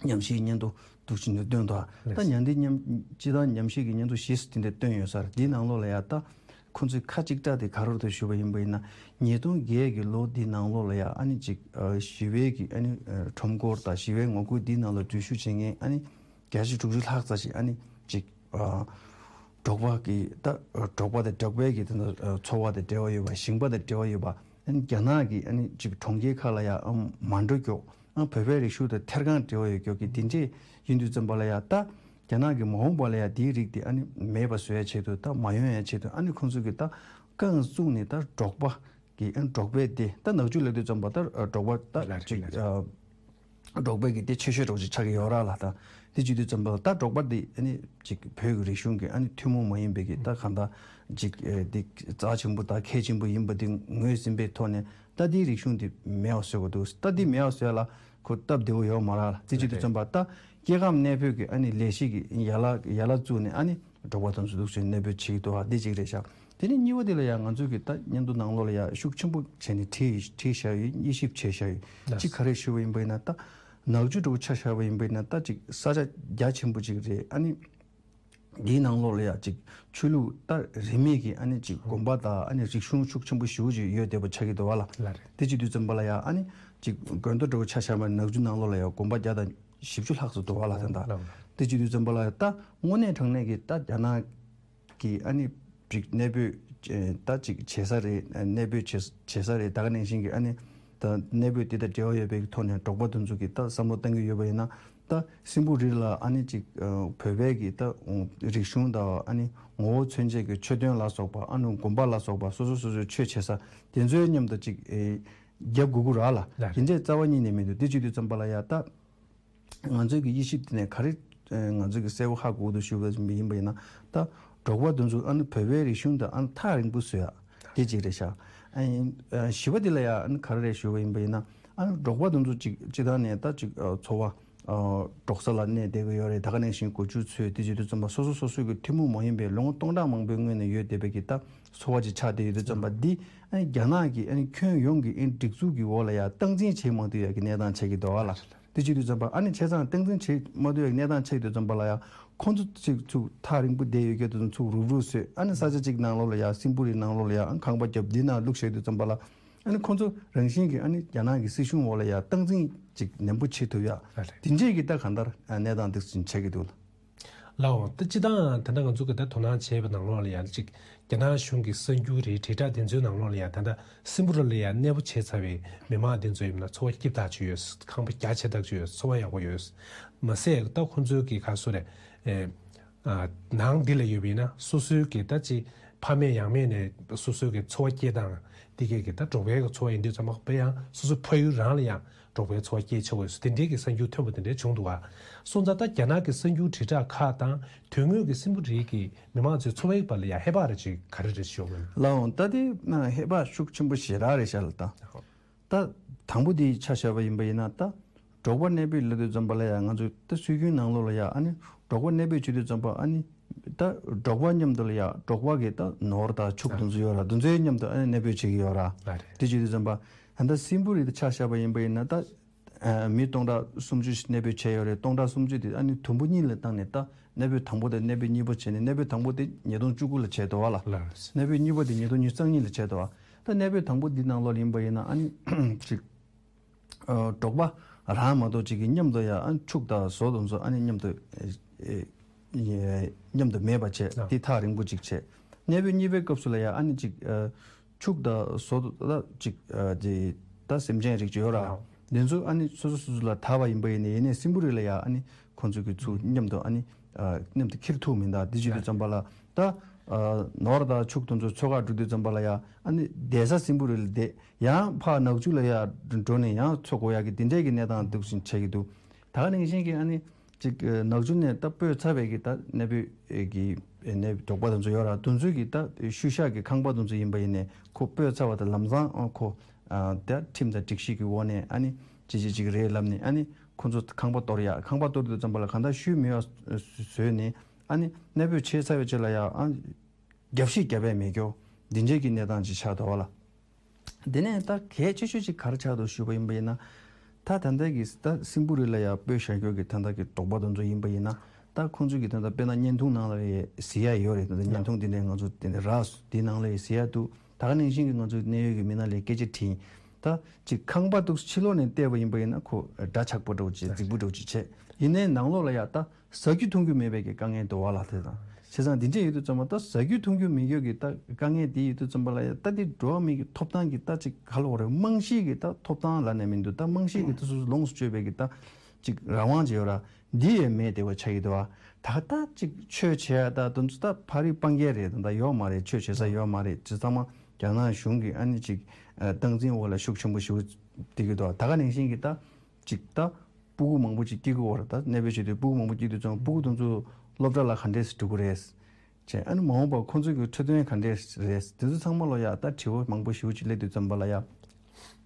ཉམས་ཞིབ་སྙན་ཐོ་འདུག་ཕྱིན་ནས་བཏོན་ཐོག་ད་ཉམས་འདི་ཉམས་སྤྱི་བཏང་ཉམས་ཞིབ་ཀྱི་སྙན་ཐོ་བཞི་དེ་འདྲ་བཏོན་ཡོད་ས་རེད། འདིའི་ནང་ལོགས་ལ་ཡ་ད་ཁོ་ཚོས་ཁ་གཅིག་གྲགས་དེ་ག་རེ་རེད་ཞུ་བ་ཡིན་པ་ཡིན་ན། ཉིས་སྟོང་བརྒྱད་ཀྱི་ལོ་འདིའི་ནང་ལོགས་ལ་ཡ་ཨ་ནི་ཅིག་ཞི་བའི་གི་ཨ་ནི་ཁྲོམ་སྐོར་དང་ཞི་བའི་ངོ་རྒོལ་འདིའི་ནང་ལ་འཛུལ་ཞུགས་བྱེད་མཁན་ཨ་ནི་ བརྒྱ་ཆ་དྲུག་ཅུ་ལྷག་ཙམ་ཞིག་ཨ་ནི་ཅིག་ཨ་འབྲོག་པ་གི་ད་འབྲོག་པ་དང་འབྲོག་པའི་གི་ད་ཚོ་བ་དང་འབྲེལ་བ་ཡོད་པ། ཞིང་པ་དང་འབྲེལ་བ་ཡོད་པ། ཨ་ནི་རྒྱ་ནག་གི་ཨ་ནི་ཅིག་གྲོང་ཁྱེར་ཁག་ལ་ཡང་མ་འགྲོ་མགྱོགས། ཨ་བོད་པའི་རིག་གཞུང་དང་ཐད་གང་འབྲེལ་བ་ཡོད་མགྱོགས་ཀྱི་དེ་འདྲས་ཡིན་དུས་ཙམ་པ་ལ་ཡང་ད་རྒྱ་ནག་གི་མ་འོངས་པ་ལ་ཡང་དེའི་རིགས་དེ་ཨ་ནི་མེད་པ་བཟོ་ཡ་ཆེད་དུ། ད་མ་ཡོང་ཡ་ཆེད་དུ་ཨ་ནི་ཁོང་ཚོ་གི་ད་རྐང་བཙུགས་ནས་ད་འབྲོག་པ་གི་ཨ་འབྲོག་པའི་སྡེ། ད་ནག་ཆུ་ལབ་དུས་ཙམ་པ་ད་འབྲོག་པ་ད་ལ་རེད་ཅིག་ལ་རེད། ཨ་འབྲོག་པའི་གི་སྡེ་ཆེ་ཤོས་འདྲ་བོ་ཅིག་ཆགས་ཀྱི་ཡོད་ར་ལ། ད་དེ་བྱེད་དུས་ཙམ་པ་ད་འབྲོག་པ་འདི་ཨ་ནི་ཅིག་བོད་ཀྱི་རིག་གཞུང་གི་ཨ་ནི་ཐུན་མོང་མ་ཡིན་པའི་གི་ད་གང་ལྟར་ཅིག་ཨེ་འདི་རྩ་ཆེན་པོ་ད་གལ་ཆེན་པོ་ཡིན་པ་འདི་ངོས་ཟིན་པའི་ཐོག་ནས་ད་འདིའི་རིག་གཞུང་འདི་མེད་པ་བཟོ་དགོས་འདུག། ད་འདི་མེད་པ་བཟོ་ཡ་ལ་ཁོ་སྟབས་བདེ་བོ་ཡོད་མ་རེད་ལ། དེ་བྱེད་དུས་ཙམ་པ་ད་སྐྱེ་ཁམས་གནས་སྤོས་ཀྱི་ཨ་ནི་ལས་གཞི་གི་ཡན་ལག་ཡན་ལག་བཙུགས་ནས་ཨ་ནི་འབྲོག་པ་དེ་ཚོ་འདུག་སེ་གནས་སྤོས་བྱེད་ཀྱི་འདུག་ཨ། འདི་གཅིག་རེད་ཤག། དེ་ནས་གཉིས་པ་དེ་ལ་ཡང་ང་ཚོས་ཀྱི་ད་སྙན་ཐོ་ནང་ལོགས་ལ་ཡང་ཤུགས་ཆེན་པོ་བྱས་ནས་བྲིས་བྲིས་བཞག་ཡོད། དབྱེ་ཞིབ་བྱས་བཞག་ཡོད། ལགས། གཅིག་ག་རེ་ཞུས་པ་ཡིན་པ་ཡིན་ན་ད་ནག་ཆུ་འདྲ་བོ་ཆ་བཞག་པ་ཡིན་པ་ཡིན་ན་ད་ཅིག་ས་ཆ་རྒྱ་ཆེན་པོ་ཅིག་རེད། ཨ་ནི་འདིའི་ནང་ལོགས་ལ་ཡང་ཅིག་ཆོས་ལུགས་ད་རིས་མེད་ཀྱི་ཨ་ནི་ཅིག་དགོན་པ་དང་ཨ་ནི་རིག་གཞུང་ཤུགས་ཆེན་པོ་ཞེ་པོ་ཅིག་ཡོད་བསྡད་པ་ཆགས་ཀྱི་འདུག་བ་ལ། ལགས་རེད། དེ་བྱེད་དུས་ཙམ་པ་ལ་ཡང་ཨ་ནི་ཅིག་དགོན་པ་འདྲ་བོ་ཆ་བཞག་པ་ནག་ཆུ་ནང་ལོགས་ལ་ཡང་དགོན་པ་བརྒྱ་དང་བཞི་བཅུ་ལྷག་ཙམ་འདུག་བ་ལ། ད་ལྟ་ལགས། དེ་བྱེད་དུས་ཙམ་པ་ལ་ཡང་ད་དངོས་གནས་དྲང་གནས་ཀྱི་ད་རྒྱ་ནག་གི་ཨ་ནི་ཅིག་གནས་སྤོས་ཨེ་ད་ཅིག་བྱེད་ས་རེད། གནས་སྤོས་བྱེད་བྱེད་ས་རེད། ད་ག་ནང་བཞིན་གྱི་ཨ་ནི་ད་གནས་སྤོས་དེ་དང་འབྲེལ་བ་ཡོད་པའི་ཐོག་ནས་འབྲོག་པ་དེ་ཚོ་གིས་ད་བསམ་བློ་གཏང་གི་ཡོད་པ་ཡིན་ན། ད་སྲིན་པོ་རི་ལ་ཨ་ནི་ཅིག་ཨ་བོད་པའི་གི་ད་རིག་གཞུང་དང་ཨ་ནི་ངོ་བོ་མཚོན་བྱེད་ཀྱི་མཆོད་རྟེན་ལ་སོགས་པ། ཨ་ནི་དགོན་པ་ལ་སོགས་པ། སོ་སོ་སོ་སོའི་ཆོས་བྱེད་ས་དེ་ཚོའི་མཉམ་དུ་ཅིག་ཨེ་རྒྱབ་དགོས་ཀྱི་རེད་ལ། ལགས་རེད། དེ་འདྲའི་རྩ་བ་ཉིད་ནས་མི་འདུག། དེ་བྱེད་དུས་ཙམ་པ་ལ་ཡ་ད་ང་ཚོའི་གི་དབྱེ་ཞིབ་དེ་ནས་ག་རེ་ཨ་ང་ཚོའི་གི་གསལ་པོ་ཧ་གོ་འདུག་ཞུ་བ་ཡིན་པ་ཡིན་ན། ད་འབྲོག་པ་དེ་ཚོ་ཨ་ནི་བོད་པའི་རིག་གཞུང་དེ་ཨ་ནི་ཐག་རིང་པོ་བཟོ་ཡ་དེ་གཅིག་རེད་ཤག། ཨ་ནི་ཨ་བཞི་པ་དེ་ལ་ཡ་ཨ་ནི་ག་རེ་རེད་ཞུ་བ་ཡིན་པ་ཡིན་ན། ཨ་ནི་འབྲོག་པ་དེ་ཚོ་ཅིག་སྤྱིར་བཏང་ནས་ད་ཅིག་ཨ་འཚོ་བ་ཨ་འབྲོག་ས་ལ་གནས་བསྡད་ཀྱི་ཡོད་རེད། ད་ག་ནང་བཞིན་སྒོ་ཕྱུགས་ཚོས་དེ་བྱེད་དུས་ཙམ་པ་སོ་སོ་སོ་སོའི་གི་ཐུན་མོང་མ་ཡིན་པའི་ལོ་ངོ་སྟོང་ཕྲག་མང་པོའི་སྔོན་ནས་ཡོད་བསྡད་པའི་གི་ད་འཚོ་བ་ཅིག་ཆགས་བསྡད་ཡོད་དུས་ཙམ་པ། འདི་ཨ་ནི་རྒྱ་ནག་གི་ཨ་ནི་ཁྱོན་ཡོངས་ཀྱི་ཨ་ནི་སྒྲིག་འཛུགས་ཀྱི་འོག་ལ་ཡ་སྟངས་འཛིན་བྱེད་མ་ཐུབ་ཡ་གི་གནས་སྟངས་ཆགས་ཀྱི་འདུག་བ་ལ། དེ་བྱེད་དུས་ཙམ་པ་ཨ་ནི་བྱས་ཙང་སྟངས་འཛིན་བྱེད་མ་ཐུབ་ཡ་གི་གནས་སྟངས་ཆགས་དུས་ཙམ་པ་ལ་ཡ་ཁོང་ཚོ་ཅིག་ཚུར་ཐག་རིང་པོ་བསྡད་ཡོད་མཁན་དེ་ཚོ་ཚུར་རུབ་རུབ་བཟོས། ཨ་ནི་ས་ཆ་གཅིག་ནང་ལོགས་ལ་ཡ་སྲིན་པོ་རི་ནང་ལོགས་ལ་ཡ་ཨ་ནི་ཁང་པ་བརྒྱབ་འདི་ནང་བླུགས་བཞག་དུས་ཙམ་པ་ལ། ཨ་ནི་ཁོང་ཚོ་རང་བཞིན་གྱིས་ཨ་ནི་རྒྱ་ནག་གི་སྲིད་གཞུང་འོག་ལ་ཡ་སྟངས་འཛིན་ཅིག་ནན་པོ་བྱེད་ཐུབ་ཡ། ལགས་རེད། དེ་འདྲས་ཀྱི་ད་གང་ལྟར་གནས་སྟངས་འདི་ཚོ་ཆགས་ཀྱི་འདུག་ལ། ལའོ། ད་སྤྱི་བཏང་ད་ལྟ་ང་ཚོ་གི་ད་དོ་སྣང་བྱས་པའི་ནང་ལོགས་ལ་ཡང་ཅིག་རྒྱ་ནག་གཞུང་གི་གསར་འགྱུར་རེད། དྲིལ་བསྒྲགས་དེ་ཚོའི་ནང་ལོགས་ལ་ཡང་ད་ལྟ་སྲིན་པོ་རི་ལ་ཡང་གནས་སྤོ་བྱས་ཚར་བའི་མི་མང་དེ་ཚོ་ཡིན་ན་འཚོ་བ་སྐྱིད་ཐག་ཆོད་ཡོད། ཁང་པ་རྒྱ་ཆེ་ཐག་ཆོད་ཡོད། འཚོ་བ་ཡག་པོ་ཡོད། མ་ཟད་ད་ཁོང་ཚོའི་གི་ག་སོ་རེད། ཨེ། ཨ། ནང་འདི་ལ་ཡོད་པ་ཡིན་ན་སོ་སོའི་གི་ད་ཅིག་ཕ་མེས་ཡང་མེས་ནས་སོ་སོའི་གི་འཚོ་བ་སྐྱེལ་སྟངས་དེ་གས་གི་ད་འབྲོག་པའི་གི་འཚོ་བ་ཡིན་དུས་ཙམ་པ་ཡང་སོ་སོའི་ཕ་ཡུལ་རང་ལ་ཡང་འབྲོག་པའི་འཚོ་བ་སྐྱེལ་ཆོག་གི་ཡོད། དེ་འདྲའི་གི་གསར་འགྱུར་ཐོན་པ་དེ་འདྲའི་བྱུང་འདུག་ག། སོང་ཙང་ད་རྒྱ་ནག་གི་གསར་འགྱུར་དྲིལ་བསྒྲགས་ཁག་དང་དོན་དངོས་ཀྱི་སྲིན་པོ་རི་གི་མི་མང་ཚོའི་འཚོ་བའི་བར་ལ་ཡང་ཧེ་བག་རེ་ཅིག་ག་རེ་རེ་ཞོག་མིན། ལའོ། ད་དེ་ན་ཧེ་བག་ཤུགས་ཆེན་པོ་ཞེ་དྲག་རེད་ཤག་ལ། ད་ད་དང་པོ་དེ་ཆ་བཞག་པ་ཡིན་པ་ཡིན་ན། ད་འབྲོག་པ་གནས་སྤོས་ལབ་དུས་ཙམ་པ་ལ་ཡང་ང་ཚོ་ད་སྲོལ་རྒྱུན་ནང་ལོགས་ལ་ཡང་ཨ་ནི་འབྲོག་པ་གནས་སྤོས་བྱེད་དུས་ཙམ་པ་ཨ་ནི་ད་འབྲོག་པ་མཉམ་དུ་ལ་ཡང་འབྲོག་པ་གི་ད་ནོར་དང་ཕྱུགས་དེ་ཚོ་ཡོད་ར། དེ་ཚོའི་མཉམ་དུ་ཨ་ནི་གནས་སྤོས་བྱེད་ཀྱི་ཡོད་ར། ལགས་རེད། དེ་བྱེད་དུས་ཙམ་པ་ད་ལྟ་སྲིན་པོ་རི་དེ་ཆ་བཞག་པ་ཡིན་པ་ཡིན་ན། ད་ཨ་མི་སྟོང་ཕྲག་སུམ་ཅུ་ཞིག་གནས་སྤོས་བྱས་ཡོད་རེད། སྟོང་ཕྲག་སུམ་ཅུ་དེ་ཨ་ནི་དུམ་བུ་གཉིས་ལ་བཏང་ནས་ད་གནས་སྤོས་དང་པོ་དང་གནས་སྤོས་གཉིས་པ་བྱས་ནས། གནས་སྤོས་དང་པོ་དེ་ཉིས་སྟོང་བཅུ་དགུ་ལ་བྱས་འདུག་བ་ལ། ལགས་རེད། གནས་སྤོས་གཉིས་པ་དེ་ཉིས་སྟོང་ཉི་ཤུ་རྩ་གཉིས་ལ་བྱས་འདུག་བ། ད་གནས་སྤོས་དང་པོ་འདི་ནང་ལོགས་ཡིན་པ་ཡིན་ན་ཨ་ནི་ཅིག་ཨ་འབྲོག་པ་རང་མ་གཏོགས་ཅིག་གི་མཉམ་དུ་ཡང་ཨ་ཕྱུགས་དང་ཟོག་དེ་ཚོ་ཨ་ནི་མཉམ་དུ་ཨེ་ཨེ་མཉམ་དུ་མེད་པ་བྱས། ཨ། དེ་ཐག་རིང་པོ་ཅིག་བྱས། གནས་སྤོས་གཉིས་པའི་སྐབས་སུ་ལ་ཡང་ཨ་ནི་ཅིག་ཨ་ཕྱུགས་དང་ཟོག་ད་ཅིག་ཨ་དེ་ད་སེམས་ཅན་རིགས་ཅིག་ཡོད་ར། ཨ། དེ་ཚོ་ཨ་ནི་སོ་སོ་སོ་སོ་ལ་དར་བ་ཡིན་པ་ཡིན་ནའི། ཡིན་ནའི་སྲིན་པོ་རི་ལ་ཡང་ཨ་ནི་ཁོང་ཚོ་གི་ཚུར་མཉམ་དུ་ཨ་ནི་ཨ་མཉམ་དུ་འཁྱེར་ཐུབ་མི་འདུག། དེ་བྱེད་དུས་ཙམ་པ་ལ་ད་ཨ་ནོར་དང་ཕྱུགས་དེ་ཚོ་འཚོལ་ག་འགྲོ་དུས་ཙམ་པ་ལ་ཡང་ཨ་ནི་བསྡད་ས་སྲིན་པོ་རི་ལ་བསྡད། ཡང་ཕར་ནག་ཆུ་ལ་ཡར་འགྲོ་ནས་ཡང་འཚོ་དགོས་ཡག་གི་དེ་འདྲའི་གི་གནས་སྟངས་འདུག་བཞིན་ཆགས་ཀྱི་འདུག། ད་ག་ནང་བཞིན་གྱི་ཨ་ནི་ཅིག་ནག་ཆུ་ནས་ད་སྤོས་ཚར་བའི་གི་ད་གནས་སྤོས་ཀྱི་གནས་འབྲོག་པ་དེ་ཚོ་ཡོད་ར། དེ་ཚོའི་གི་ད་ཤུལ་བཞག་གི་ཁང་པ་དེ་ཚོ་ཡིན་པ་ཡིན་ནའི། ཁོ་སྤོས་ཚར་བ་དང་ལམ་སང་ཨ་ཁོ་ཨ་ད་ཁྲིམས་དང་སྒྲིག་གཞི་གི་འོག་ནས་ཨ་ནི་ཅི་ཅི་ཅིག་རེད་ལབ་ནས་ཨ་ནི་ཁོ་ཚོ་ཁང་པ་གཏོར་ཡག། ཁང་པ་གཏོར་དུས་ཙམ་པ་ལ་གང་ལྟར་ཤུལ་མེད་པ་བཟོས་ནས་ཨ་ནི་གནས་སྤོས་བྱས་ཚར་བའི་རྗེས་ལ་ཡང་ཨ་རྒྱབ་བཤིག་རྒྱབ་པའི་མེད་སྐྱོ་འདི་འདྲའི་གི་གནས་སྟངས་ཅིག་ཆགས་འདུག་བ་ལ། དེ་ནས་ད་གལ་ཆེ་ཤོས་ཅིག་ག་རེ་ཆགས་འདུག་ཞུས་པ་ཡིན་པ་ཡིན་ན། ད་ད་ལྟ་གི་ད་སྲིན་པོ་རི་ལ་ཡ་སྤོས་བཞག་རྒྱུ་གི་ད་ལྟ་གི་འབྲོག་པ་དེ་ཚོ་ཡིན་པ་ཡིན་ན། ད་ཁོང་ཚོ་གི་ད་ལྟ་དཔེར་ན་བརྙན་ཐུང་ནང་ལ་ཡ་གཟིགས་ཡ་ཡོད་རེད། ད་ལྟ་བརྙན་ཐུང་དེ་འདྲའི་ང་ཚོ་དེ་འདྲ་རག་སོང་། དེའི་ནང་ལ་ཡ་གཟིགས་ཡ་འདུག། ད་ག་ནང་བཞིན་གི་ང་ཚོ་གནད་ཡོད་ཀྱི་མི་སྣ་ལ་སྐད་ཆ་དྲིས། ད་ཅིག་ཁང་པ་འདུག་ཕྱི་ལོགས་ནས་བལྟས་པ་ཡིན་པ་ཡིན་ན་ཁོ་འདྲ་ཆགས་པོ་འདྲ་བོ་ཅིག་རྫིག་པོ་འདྲ་བོ་ཅིག་བྱས། ཡིན་ནའི་ནང་ལོགས་ལ་ཡ་ད་ཟ་རྒྱུ་འཐུང་རྒྱུ་མེད་པའི་གི་དཀའ་ངལ་འདུག་བ་ལ། དེ་དང་བྱས་ཙང་འདི་འདྲས་ཡོད་དུས་ཙམ་པ་ད་ཟ་རྒྱུ་འཐུང་རྒྱུ་མེད་རྒྱུ་གི་ད་དཀའ་ངལ་དེ་ཡོད་དུས་ཙམ་པ་ལ་ཡ་ད་དེ་འགྲོ་བ་མིའི་གི་ཐོབ་ཐང་གི་ད་ཅིག་ག་ལ་འོ་རེད། རྨང་གཞི་གི་ད་ཐོབ་ཐང་ལབ་ནས་མི་འདུག་ད་རྨང་གཞི་གི་ད་སོ་སོ་ལོངས་སུ་སྤྱོད་པའི་གི་ད་ཅིག་རང་དབང་ཅིག་ཡོད་ར། འདི་ཡང་མེད་བསྡད་པ་ཆགས་ཀྱི་འདུག་བ། ད་ད་ཅིག་ཆོས་བྱེད་ཡ་ད་དུང་ད་ཕ་རི་སྤང་རྒྱལ་རེད། ད་ད་ཡོད་མ་རེད། ཆོས་བྱེད་ས་ཡོད་མ་རེད། ཅི་ཚང་མ་རྒྱ་ནག་གཞུང་གི་ཨ་ནི་ཅིག་སྟངས་འཛིན་འོག་ལ་ཤུགས་ཆེན་པོ་ཞིག་བསྡད་ཀྱི་འདུག་ད་ག་ནང་བཞིན་གྱི་ད་ཅིག་ད་སྤུ་གུ་མང་པོ་ཅིག་སྐྱེ་གི་ཡོད་རེད། ད་གནས་སྤོས་བྱེད་དུས་སྤུ་གུ་མང་པོ་སྐྱེ་དུས་ཙང་སྤུ་གུ་དེ་ཚོ་སློབ་གྲྭ་ལ་ག་འདྲས་སེ་འགྲོ་གི་རེད། བྱས་ཨ་ནི་མ་འོངས་པར་ཁོང་ཚོའི་གི་འཕྲོད་བསྟེན་ག་འདྲས་རེད། དེ་ཚོ་ཚང་མ་ལོ་ཡ་ད་དྲི་བ་མང་པོ་ཞེ་པོ་ཅིག་སླེབས་དུས་ཙམ་པ་ལ་ཡ།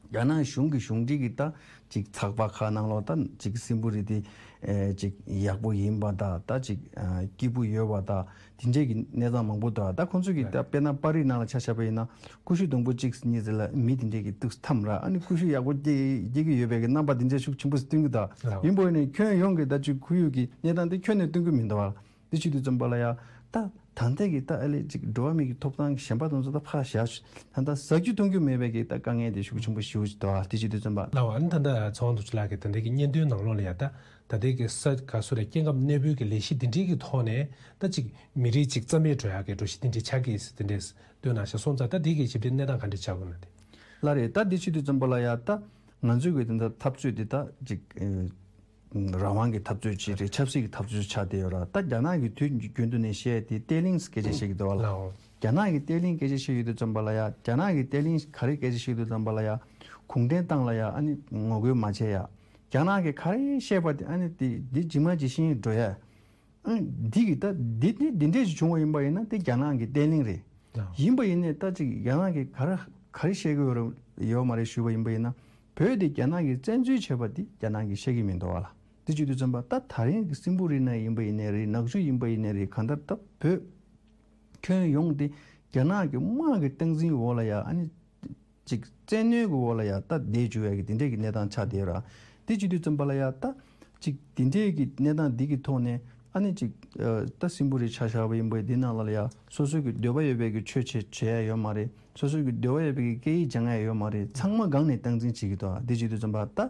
རྒྱ་ནག་གཞུང་གི་གཞུང་འབྲེལ་གྱི་ད་ཅིག་ཚགས་པར་ཁག་ནང་ལོགས་ད་ཅིག་སྲིན་བུ་རི་དེ་ཨེ་ཅིག་ཡག་པོ་ཡིན་པ་ད་ད་ཅིག་ཨ་སྐྱིད་པོ་ཡོད་པ་ད་དེ་འདྲས་ཀྱི་གནས་སྟངས་མང་པོ་འདུག་ད་ཁོང་ཚོས་ཀྱི་ད་དཔེར་ན་པར་རིས་ནང་ལ་ཆ་བཞག་པ་ཡིན་ན་ཀུ་ཤུ་སྡོང་པོ་གཅིག་གཉིས་ཟེར་ལ་མི་དེ་འདྲས་ཀྱི་ཏོག་ཙམ་འཐམ་ར། ཨ་ནི་ཀུ་ཤུ་ཡག་པོ་སྐྱེ་སྐྱེ་གི་ཡོད་པའི་གི་རྣམ་པ་དེ་འདྲས་ཤུགས་ཆེན་པོ་ཞིག་སྟོན་གི་འདུག་ལགས། ཡིན་པ་ཡིན་ནའི་ཁྱོན་ཡོངས་ཀྱི་ད་ཅིག་ཁོར་ཡུག་གི་གནས་སྟངས་དེ་ཁྱོན་ནས་སྟོན་གི་མི་འདུག་བ། དེ་བྱེད་དུས་ཙམ་པ་ལ་ཡ་ད་ད་ལྟ་གི་ད་ཨ་ལས་ཅིག་འགྲོ་བ་མི་གི་ཐོབ་ཐང་གི་ཞན་པ་དེ་ཚོ་ད་ཕར་བཞག་ད་ལྟ་ཟ་རྒྱུ་འཐུང་རྒྱུ་མེད་པའི་གི་ད་དཀའ་ངལ་དེ་ཤུགས་ཆེན་པོ་ཞེ་པོ་ཅིག་འདུག་བ། དེ་བྱེད་དུས་ཙམ་པ། ལགས་འོ། ཨ་ནི་ད་ལྟ་ཚོགས་དབང་རྡོ་རྗེ་ལགས་ཀྱིས་ད་ལྟའི་གི་སྙན་ཐོའི་ནང་ལོགས་ལ་ཡ་ད་ད་ལྟའི་གི་ས་ག་སོ་རེད། སྐྱེ་ཁམས་གནས་སྤོས་ཀྱི་ལས་གཞི་འདི་འདྲའི་གི་ཐོག་ནས་ད་ཅིག་མི་རིགས་ཅིག་རྩ་མེད་འགྲོ་ཡག་གི་འགྲོ་གཞི་འདི་འདྲའི་ཆགས་ཀྱི་ཡིན་ཟེར་དེ་འདྲས་སྟོན་གནང་ཤག་སོང་ཙང་ད་འདི་གི་ཞིབ་ཕྲའི་གནས་སྟངས་ག་འདྲས་ཆགས་དགོས་ན་དེ། ལགས་རེད། ད་འདི་བྱེད་དུས་ཙམ་པ་ལ་ཡ་ད་ང་ཚོའི་གི་ད་ལྟ་འཐབ་རྩོད་འདི་ད་ཅིག་ཨེ། རང་དབང་གི་འཐབ་རྩོད་ཅིག་རེད། ཆབ་སྲིད་ཀྱི་འཐབ་རྩོད་ཆགས་བསྡད་ཡོད་ར། ད་རྒྱ་ནག་གི་དུས་རྒྱུན་དུ་ནས་བཤད་དེ་བརྟན་ལྷིང་སྐད་ཆ་བཤད་ཀྱི་འདུག་བ་ལ། ལའོ། རྒྱ་ནག་གི་བརྟན་ལྷིང་སྐད་ཆ་བཤད་ཡོད་དུས་ཙམ་པ་ལ་ཡ། རྒྱ་ནག་གི་བརྟན་ལྷིང་ག་རེ་སྐད་ཆ་བཤད་དུས་ཙམ་པ་ལ་ཡ། གུང་ཁྲན་ཏང་ལ་ཡ་ཨ་ནི་ངོ་རྒོལ་མ་བྱེད་ཡ། རྒྱ་ནག་གི་ག་རེ་བཤད་པ་དེ་ཨ་ནི་དེ་འདི་ཇི་མ་ཇི་བཞིན་འགྲོ་ཡ། ཨ་ནི་འདི་གི་ད་འདི་འདི་འདི་འདྲས་ཞིག་བྱུང་བ་ཡིན་པ་ཡིན་ན་དེ་རྒྱ་ནག་གི་བརྟན་ལྷིང་རེད། ལའོ། ཡིན་པ་ཡིན་ནའི་ད་ཅིག་རྒྱ་ནག་གི་ག་རེ་ག་རེ་བཤད་ཀྱི་ཡོད་རེད་ཡོད་མ་རེད་ཞུས་པ་ཡིན་པ་ཡིན་ན། བོད་དེ་རྒྱ་ནག་གིས་བཙན་འཛུལ་བྱས་པ་འདི་རྒྱ་ནག་གིས་བཤད་ཀྱི་མི་འདུག་བ་ལ། དེ་བྱེད་དུས་ཙམ་པ་ད་ད་རིང་གི་སྲིན་པོ་རི་ནས་ཡིན་པ་ཡིན་ནའི་རེད། ནག་ཆུ་ཡིན་པ་ཡིན་ནའི་རེད། གང་ལྟར་ད་བོད་ཁྱོན་ཡོངས་དེ་རྒྱ་ནག་གི་དམག་གི་སྟངས་འཛིན་འོག་ལ་ཡ་ཨ་ནི་ཅིག་བཙན་གནོན་གྱི་འོག་ལ་ཡ་ད་བསྡད་བཅུག་ཡ་གི་དེ་འདྲས་ཀྱི་གནས་སྟངས་ཆགས་བསྡད་ཡོད་ར། དེ་བྱེད་དུས་ཙམ་པ་ལ་ཡ་ད་ཅིག་དེ་འདྲས་ཀྱི་གནས་སྟངས་འདི་གི་ཐོག་ནས་ཨ་ནི་ཅིག་ད་སྲིན་པོ་རི་ཆ་བཞག་པ་ཡིན་པ་འདི་ནང་ལ་ཡ་སོ་སོ་གི་འདོད་པ་ཡོད་པའི་གི་ཆོས་བྱེད་བྱེད་ཡ་ཡོད་མ་རེད། སོ་སོ་གི་འདོད་པ་ཡོད་པའི་གི་སྐད་ཡིག་སྦྱང་ཡ་ཡོད་མ་རེད། ཚང་མ་སྒང་ནས་སྟངས་འཛིན་བྱེད་ཀྱི་འདུག་དེ་བྱེད་དུས་ཙམ་པ་ད་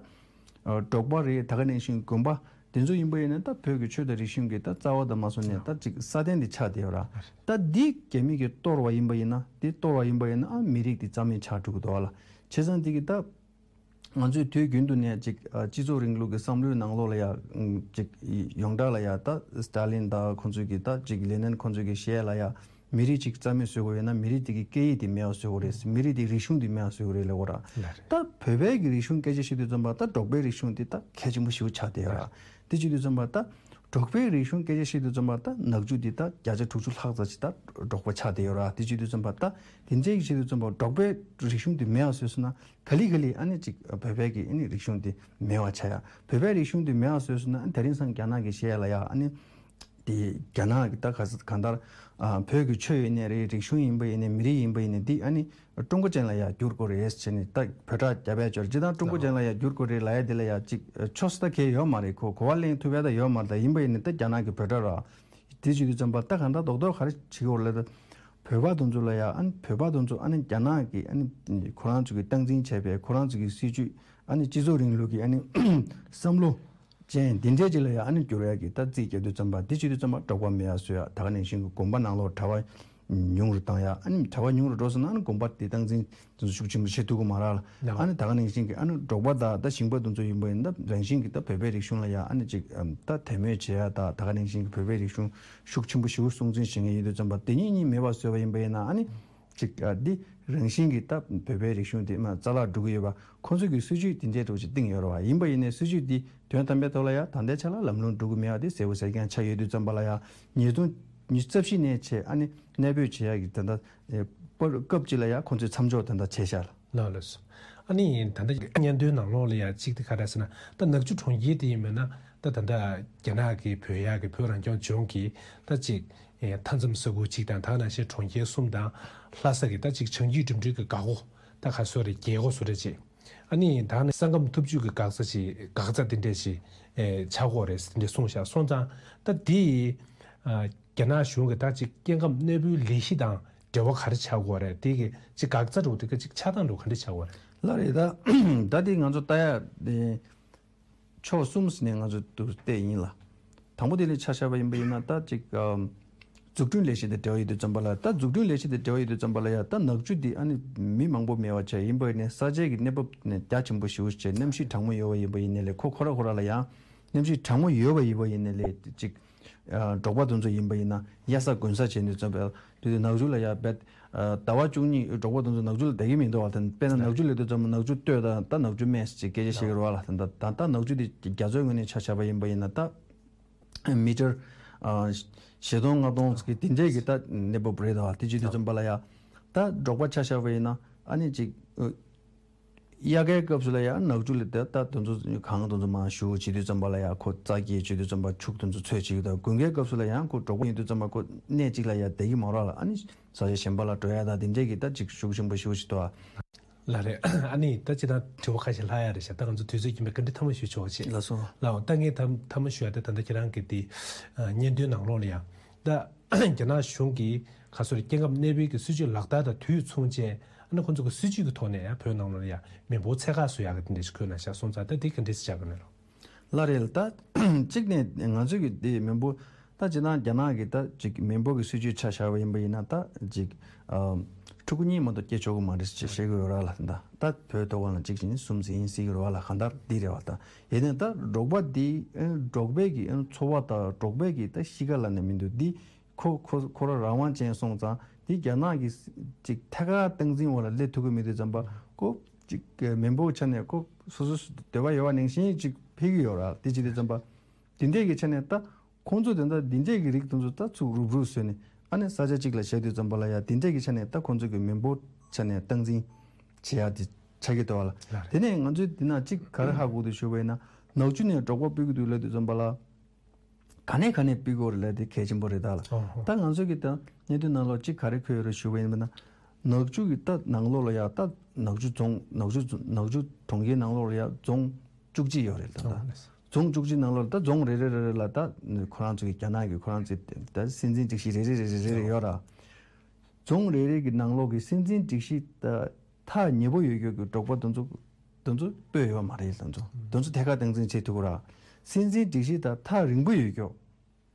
འབྲོག་པ་རེད། ད་ག་ནང་བཞིན་དགོན་པ་དེ་ཚོ་ཡིན་པ་ཡིན་ན་ད་བོད་ཀྱི་ཆོས་དང་རིག་གཞུང་གི་ད་རྩ་བ་དང་མ་སོང་ནས་ད་ཅིག་སྲ་བརྟན་དེ་ཆགས་བསྡད་ཡོད་ར། ད་འདི་རྒྱ་མི་གིས་གཏོར་བ་ཡིན་པ་ཡིན་ན་དེ་གཏོར་བ་ཡིན་པ་ཡིན་ན་ཨ་མི་རིགས་དེ་རྩ་མེད་ཆགས་འགྲོ་གི་འདུག་བ་ལ། བྱས་ཙང་དེ་གི་ད། ང་ཚོས་དུས་རྒྱུན་དུ་ནས་ཅིག་ཨ་སྤྱི་ཚོགས་རིང་ལུགས་ཀྱི་བསམ་བློའི་ནང་ལོགས་ལ་ཡ་ཅིག་ཡོངས་གྲགས་ལ་ཡ་ད་སི་ཏཱ་ལིན་དང་ཁོང་ཚོས་ཀྱི་ད་ཅིག་ལེ་ནན་ཁོང་ཚོས་ཀྱི་བཤད་ལ་ཡ་མི་རིགས་ཅིག་རྩ་མེད་བཟོ་དགོས་ཡོད་ན་མི་རིགས་དེ་གི་སྐད་ཡིག་དེ་མེད་པ་བཟོ་དགོས་རེད། མི་རིགས་དེ་རིག་གཞུང་དེ་མེད་པ་བཟོ་དགོས་རེད་ལབ་ཡོད་ར། ལགས་རེད། ད་བོད་པའི་གི་རིག་གཞུང་སྐད་ཆ་བཤད་དུས་ཙམ་པ་ད་འབྲོག་པའི་རིག་གཞུང་དེ་ད་གལ་ཆེན་པོ་ཞེ་པོ་ཆགས་བསྡད་ཡོད་ར། དེ་བྱེད་དུས་ཙམ་པ་ད་འབྲོག་པའི་རིག་གཞུང་སྐད་ཆ་བཤད་དུས་ཙམ་པ་ད་ནག་ཆུ་འདི་ད་བརྒྱ་ཆ་དྲུག་ཅུ་ལྷག་ཙམ་ཞིག་ད་འབྲོག་པ་ཆགས་བསྡད་ཡོད་ར། དེ་བྱེད་དུས་ཙམ་པ་ད་དེ་འདྲའི་བྱེད་དུས་ཙམ་པ་འབྲོག་པའི་རིག་གཞུང་དེ་མེད་པ་བཟོས་སོང་ན་ག་ལེ་ག་ལེ་ཨ་ནི་ཅིག་བོད་པའི་གི་ཨ་ནི་རིག་གཞུང་དེ་མེད་པ་ཆགས་ཡ། བོད་པའི་རིག་གཞུང་དེ་མེད་པ་བཟོས་སོང་ན་ཨ་ནི་དེ་རིང་སང་རྒྱ་ནག་གི་བཤད་ཡ་ལ་ཡ་ཨ་ནི་དེ་རྒྱ་ནག་གི་ད་ག་ས་གང་ལྟར་ཨ་བོད་ཀྱི་ཆོས་ཡིན་ནའི་རེད། རིག་གཞུང་ཡིན་པ་ཡིན་ནའི་མི་རིགས་ཡིན་པ་ཡིན་ནའི་འདི་ཨ་ནི། ཀྲུང་གོ་ཅན་ལ་ཡ་བསྒྱུར་དགོས་རེད་ཟེར་ནས་ད་བོད་སྒྲ་རྒྱབ་ཡ་ཅོར་ཇི་དང་ཀྲུང་གོ་ཅན་ལ་ཡ་བསྒྱུར་དགོས་རེད་ལབ་ཡ་དེ་ལ་ཡ་ཅིག་ཆོས་ད་གས་ཡོད་མ་རེད། ཁོ་གོ་བ་ལེན་ཐུབ་ཡ་ད་ཡོད་མ་རེད། ད་ཡིན་པ་ཡིན་ནི་ད་རྒྱ་ནག་གི་བོད་སྒྲ་ར། དེ་བྱེད་དུས་ཙམ་པ་ད་གང་ལྟར་རྡོག་རྡོག་ག་རེ་བྱེད་དགོས་ལབ་ད་བོད་པ་དེ་ཚོ་ལ་ཡ་ཨ་ནི་བོད་པ་དེ་ཚོ་ཨ་ནི་རྒྱ་ནག་གི་ཨ་ནི་ཁོ་རང་ཚོ་གི་སྟངས་འཛིན་བྱས་པའི་ཁོ་རང་ཚོ་གི་སྲིད་ཇུས་ཨ་ནི་སྤྱི་ཚོགས་རིང་ལུགས་ཀྱི་ཨ་ནི་བསམ་བློ། ཅན་འདི་འདྲའི་ཅིག་ལ་ཡ་ཨ་ནི་བསྒྱུར་ཡ་གི་ད་རྩིས་རྒྱག་དུས་ཙམ་པ་འདི་བྱེད་དུས་ཙམ་པ་འབྲོག་པ་མེད་ཡ་བཟོ་ཡ། ད་ག་ནང་བཞིན་གྱི་དགོན་པ་ནང་ལོགས་གྲྭ་པ་ཉུང་རུ་བཏང་ཡ། ཨ་ནི་གྲྭ་པ་ཉུང་རུ་འགྲོ་སོང་ན་ཨ་ནི་དགོན་པ་དེ་སྟངས་འཛིན་དེ་ཚོ་ཤུགས་ཆེན་པོ་བྱེད་ཐུབ་ཀྱི་མ་རེད་ལ། ཨ་ནི་ད་ག་ནང་བཞིན་གྱི་ཨ་ནི་འབྲོག་པ་དང་ད་ཞིང་པ་དེ་ཚོ་ཡིན་པ་ཡིན་ན་ད་རང་བཞིན་གྱི་ད་བོད་པའི་རིག་གཞུང་ལ་ཡ་ཨ་ནི་ཅིག་ད་དད་མོས་བྱེད་ཡ་ད་ད་ག་ནང་བཞིན་གྱི་བོད་པའི་རིག་གཞུང་ཤུགས་ཆེན་པོ་ཞེ་པོ་སྲུང་འཛིན་བྱེད་མཁན་ཡིན་དུས་ཙམ་པ་དེ་གཉིས་གཉིས་མེད་པ་བཟོས་པ་ཡིན་པ་ཡིན་ན་ཨ་ནི། ཅིག་ཨ་འདི་རང་བཞིན་གྱིས་ད་བོད་པའི་རིག་གཞུང་དེ་མ་རྩ་བརླག་འགྲོ་གི་ཡོད་པ་ཁོང་ཚོ་གི་སྲིད་ཇུས་དེ་འདྲའི་འདྲ་བོ་ཅིག་བཏིང་ཡོད་རེད་བ། ཡིན་པ་ཡིན་ནའི་སྲིད་ཇུས་འདི་དོན་དམ་པའི་ཐོག་ལ་ཡ་ད་ལྟའི་ཆ་ལ་ལམ་ལྷོང་འགྲོ་གི་མེད་པ་དེ་གསལ་པོ་གསལ་རྐྱང་ཆགས་ཡོད་དུས་ཙམ་པ་ལ་ཡ་ཉིས་སྟོང་ཉི་ཤུ་རྩ་བཞི་ནས་བྱས་ཨ་ནི་གནས་སྤོས་བྱེད་ཡག་གི་ད་ལྟ་པར་སྐབས་གཅིག་ལ་ཡ་ཁོང་ཚོས་མཚམས་འཇོག་ད་ལྟ་བྱས་ཤག་ལ། ལགས་ལགས་སོ། ཨ་ནི་ད་ལྟ་སྙན་ཐོའི་ནང་ལོགས་ལ་ཡ་གཅིག་དེ་ག་རེ་ཟེར་ན་ད་ནག་ཆུ་གྲོང་ཁྱེར་དེ་ཡིན་མིན་ན་ད་ད་ལྟ་རྒྱ་ནག་གི་བོད་ཡག་གི་བོད་རང་སྐྱོང་ལྗོངས་ཀྱི་ད་ཅིག་ཨེ་མཐའ་མཚམས་ས་ཁུལ་གཅིག་དང་ད་ག་ནང་བཞིན་གྲོང་ཁྱེར་གསུམ་དང་ལྷ་ས་གི་ད་ཅིག་བྱང་རྒྱུད་འགྲིམ་འགྲུལ་གྱི་འགག་སྒོ་ད་ག་སོ་རེ་རྒྱལ་སྒོ་སོ་རེ་ཅིག་ཨ་ནི་ད་ནི་ས་ཁམས་འཐབ་ཇུས་ཀྱི་འགག་རྩ་ཅིག་འགག་རྩ་དེ་འདྲས་ཅིག་ཨེ་ཆགས་ཀྱི་ཡོད་རེད་དེ་འདྲས་གསུངས་ཤག་སོང་ཙང་ད་དེ་ཨ་རྒྱ་ནག་གཞུང་གི་ད་ཅིག་སྐྱེ་ཁམས་གནས་སྤོའི་ལས་གཞི་དང་འབྲེལ་བ་ག་རེ་ཆགས་ཀྱི་ཡོད་རེད། དེ་གི་ཅིག་འགག་རྩ་འདྲ་བོ་དེ་ག་ཅིག་ཆགས་སྟངས་འདྲ་བོ་ག་འདྲས་ཆགས་ཀྱི་ཡོད་རེད། ལགས་རེད། ད་ད་དེ་ང་ཚོ་ལྟ་ཡ་དེ་ཕྱོགས་གསུམ་ནས་ང་ཚོ་དུ་བལྟས་ཡིན་ལ། དང་པོ་དེ་ལས་ཆ་བཞག་པ་ཡིན་པ་ཡིན་ན་ད་ཅིག་ཨམ། འཛུགས་སྐྲུན་ལས་གཞི་དང་འབྲེལ་བ་ཡོད་དུས་ཙམ་པ་ལ། ད་འཛུགས་སྐྲུན་ལས་གཞི་དང་འབྲེལ་བ་ཡོད་དུས་ཙམ་པ་ལ་ཡ། ད་ནག་ཆུ་འདི་ཨ་ནི་མི་མང་པོ་མེད་པ་བྱས་ཡིན་པ་ཡིན་ནའི་ས་ཆའི་གི་གནས་བབ་ནས་རྒྱ་ཆེན་པོ་ཞེ་པོ་ཅིག་གནམ་གཤིས་གྲང་མོ་ཡོད་པ་ཡིན་པ་ཡིན་ནའི་ལས། ཁོ་ཁོ་ར་ཁོ་ར་ལ་ཡང་གནམ་གཤིས་གྲང་མོ་ཡོད་པ་ཡིན་པ་ཡིན་ནའི་ལས་ཅིག་ཨ། འབྲོག་པ་དེ་ཚོ་ཡིན་པ་ཡིན་ན་གཡའ་ས་དགུན་ས་བྱས་དུས་ཙམ་པ་དེ་དུས་ནག་ཆུ་ལ་ཡ་བེད། ཨ། ཟླ་བ་བཅུ་གཉིས་འབྲོག་པ་དེ་ཚོ་ནག་ཆུ་ལ་བསྡད་ཀྱི་མི་འདུག་བ། དེ་དཔེར་ན་ནག་ཆུ་སླེབས་དུས་ཙམ་པ་ནག་ཆུ་སྟོད་དང་ད་ནག་ཆུ་སྨད་ཅིག་སྐད་ཆ་བཤད་ཀྱི་རེད་བ་ལ། ད་ད་ད་ནག་ཆུ་དེ་རྒྱ་མཚོའི་ངོས་ནས་ཆ་བཞག་པ་ཡིན་པ་ཡིན་ན་ད་མི་ཊར་ཨ། བཞི་སྟོང་ལྔ་སྟོང་གི་དེ་འདྲས་ཀྱི་ད་གནས་བབ་རེད་དོ། དེ་བྱེད་དུས་ཙམ་པ་ལ་ཡ་ད་འབྲོག་པ་ཆ་བཞག་པ་ཡིན་ན་ཨ་ནི་ཅིག་ཨ། དབྱར་ཁའི་སྐབས་སུ་ལ་ཡ་ནག་ཆུ་ལ་ད་ད་དེ་ཚོ་གངས་དེ་ཚོ་མར་བཞུར་བྱེད་དུས་ཙམ་པ་ལ་ཡ་ཁོ་རྩྭ་སྐྱེས་བྱེད་དུས་ཙམ་པ་ཕྱུགས་དེ་ཚོ་འཚོ་བྱེད་ཀྱི་འདུག་དགུན་ཁའི་སྐབས་སུ་ལ་ཡང་ཁོ་འབྲོག་པ་ཡིན་དུས་ཙམ་པ་ཁོ་གནས་གཅིག་ལ་ཡ་བསྡད་ཀྱི་མ་རེད་ལ། ཨ་ནི་ས་ཆ་གཞན་པ་ལ་འགྲོ་ཡ་ད་དེ་འདྲས་ཀྱི་ད་ཅིག་ཤུགས་ཆེན་པོ་ཞེ་པོ་ཅིག་འདུག་ཨ། ལགས་རེད། ཨ་ནི་ད་ཅི་ད་དྲི་བ་ཁ་ཤས་ལྷག་ཡ་རེད་ཤག་ད་ང་ཚོ་དུས་ཚོད་ཀྱིན་པའི་བཀའ་འདྲི་མཐའ་མ་ཞུ་ཆོག་ཅེས། ལགས་སོ། ལགས་འོང་། ད་ངས་ད་མཐའ་མ་ཞུ་ཡ་དེ་ད་ལྟ་ཁྱེད་རང་གི་དེ་ཨ། སྙན་ཐོའི་ནང་ལོགས་ལ་ཡ་ད་རྒྱ་ནག་གཞུང་གིས་ག་སོ་རེ་སྐྱེ་ཁམས་གནས་སྤོས་ཀྱི་སྲིད་ཇུས་ལག་བསྟར་དང་དུས་མཚུངས་བཅས་ཨ་ནི་ཁོང་ཚོ་གི་སྲིད་ཇུས་ཀྱི་ཐོག་ནས་ཡ་བོད་ནང་ལོགས་ལ་ཡ་མི་འབོར་ཚད་བཀག་བཟོ་ཡ་གི་དེ་འདྲ་ཞིག་འཁོད་ན་ཤག་སོང་ཙང་ད་དེ་ག་འདྲས་སེ་ཆགས་ཀྱི་ནས་ལོ། ལགས་རེད། ད་གཅིག་ནས་ང་ཚོས་ཀྱི་དེ་མི་འབོར་ད་ཅི་ན་རྒྱ་ནག་གི་ད་ཅིག་མི་འབོར་གྱི་སྲིད་ཇུས་ཆ་བཞག་པ་ཡིན་པ་ཡིན་ན་ད་ཅིག་ཨ། ཕྲུ་གུ་གཉིས་མ་གཏོགས་སྐྱེ་ཆོག་གི་མ་རེད་ཅེས་བཤད་ཀྱི་ཡོད་ར་ལ། ད་ད་བོད་ཐོག་ཁ་ལ་གཅིག་བྱས་ནས་གསུམ་ཟེར་ཡིན་སྲིད་ཀྱི་རེད་བ་ལ། གང་ལྟར་འདི་རེད་བ། ད་ཡིན་ནའི་ད་འབྲོག་པ་འདི་ཨ། འབྲོག་པའི་གི་ཨ། འཚོ་བ་དང་འབྲོག་པའི་གི་ད་གཤིས་ཀ་ལ་ནི་མི་འདུག་འདི་ཁོ་ཁོ་ཁོ་རང་རང་དབང་ཅན་སོང་ཙང་འདི་རྒྱ་ནག་གི་ཅིག་ཐད་ཀར་སྟངས་འཛིན་འོག་ལ་སླེབས་ཐུབ་ཀྱི་མི་འདུག་ཙམ་པ་ཁོ་ཅིག་མི་འབོར་ཆ་ནས་ཁོ་སོ་སོ་འདོད་པ་ཡོད་པ་ནང་བཞིན་ཅིག་འཕེལ་གྱི་ཡོད་ར། དེ་བྱེད་དུས་ཙམ་པ་འདི་འདྲས་ཀྱི་ཆ་ནས་ད་ཁོང་ཚོ་དེ་འདྲ་འདི་འདྲས་ཀྱི་རིགས་དེ་ཚོ་ད་ཚུར་རུབ་རུབ་བཟོས་ནས་ཨ་ནི་ས་ཆ་གཅིག་ལ་བཞག་དུས་ཙམ་པ་ལ་ཡ་འདི་འདྲས་ཀྱི་ཆ་ནས་ད་ཁོང་ཚོ་གི་མི་འབོར་ཆ་ནས་སྟངས་འཛིན་བྱེད་ཡ་དེ་ཆགས་ཀྱི་འདུག་བ་ལ། ལགས་རེད། དེ་ནས་ང་ཚོས་འདི་ན་གཅིག་ག་རེ་ཧ་གོ་འདུག་ཞུ་བ་ཡིན་ན་ནག་ཆུ་ནས་འབྲོག་པ་སྤོ་གི་འདུག་ལབ་དུས་ཙམ་པ་ལ། ག་ནས་ག་ནས་སྤོ་དགོས་རེད་ལབ་དེ་གལ་ཆེན་པོ་རེད་ད་ལ། ཨོ་ཧོ། ད་ང་ཚོ་གི་ད་སྙན་ཐོའི་ནང་ལོགས་གཅིག་ག་རེ་འཁོད་ཡོད་རེད་ཞུ་བ་ཡིན་ན། ནག་ཆུ་གི་ད་ནང་ལོགས་ལ་ཡ་ད་ནག་ཆུ་རྫོང་ནག་ཆུ་ནག་ཆུ་གྲོང་ཁྱེར་ནང་ལོགས་ལ་ཡ་རྫོང་བཅུ་གཅིག་ཡོད་རེད་ད། ཨོ་ད་ལེ། རྫོང་བཅུ་གཅིག་ནང་ལོགས་ལ་ད་རྫོང་རེ་རེ་རེ་རེ་ལ་ད་ཁོ་རང་ཚོ་གི་རྒྱ་ནག་གི་ཁོ་རང་ཚོའི་ད་སྲིད་འཛིན་སྒྲིག་གཞི་རེ་རེ་རེ་རེ་རེ་རེ་ཡོད་ར། རྫོང་རེ་རེ་གི་ནང་ལོགས་ཀྱི་སྲིད་འཛིན་སྒྲིག་གཞི་ད་ཐག་ཉེ་པོ་ཡོད་རྒྱུ་གི་འབྲོག་པ་དེ་ཚོ་དེ་ཚོ་སྤོས་ཡོད་མ་རེད། དེ་ཚོ་དེ་ཚོ་ཐད་ཀར་སྟངས་འཛིན་བྱེད་ཐུབ་ཀྱི་ར། སྲིད་འཛིན་སྒྲིག་གཞི་དང་ཐག་རིང་པོ་ཡོད་རྒྱུ།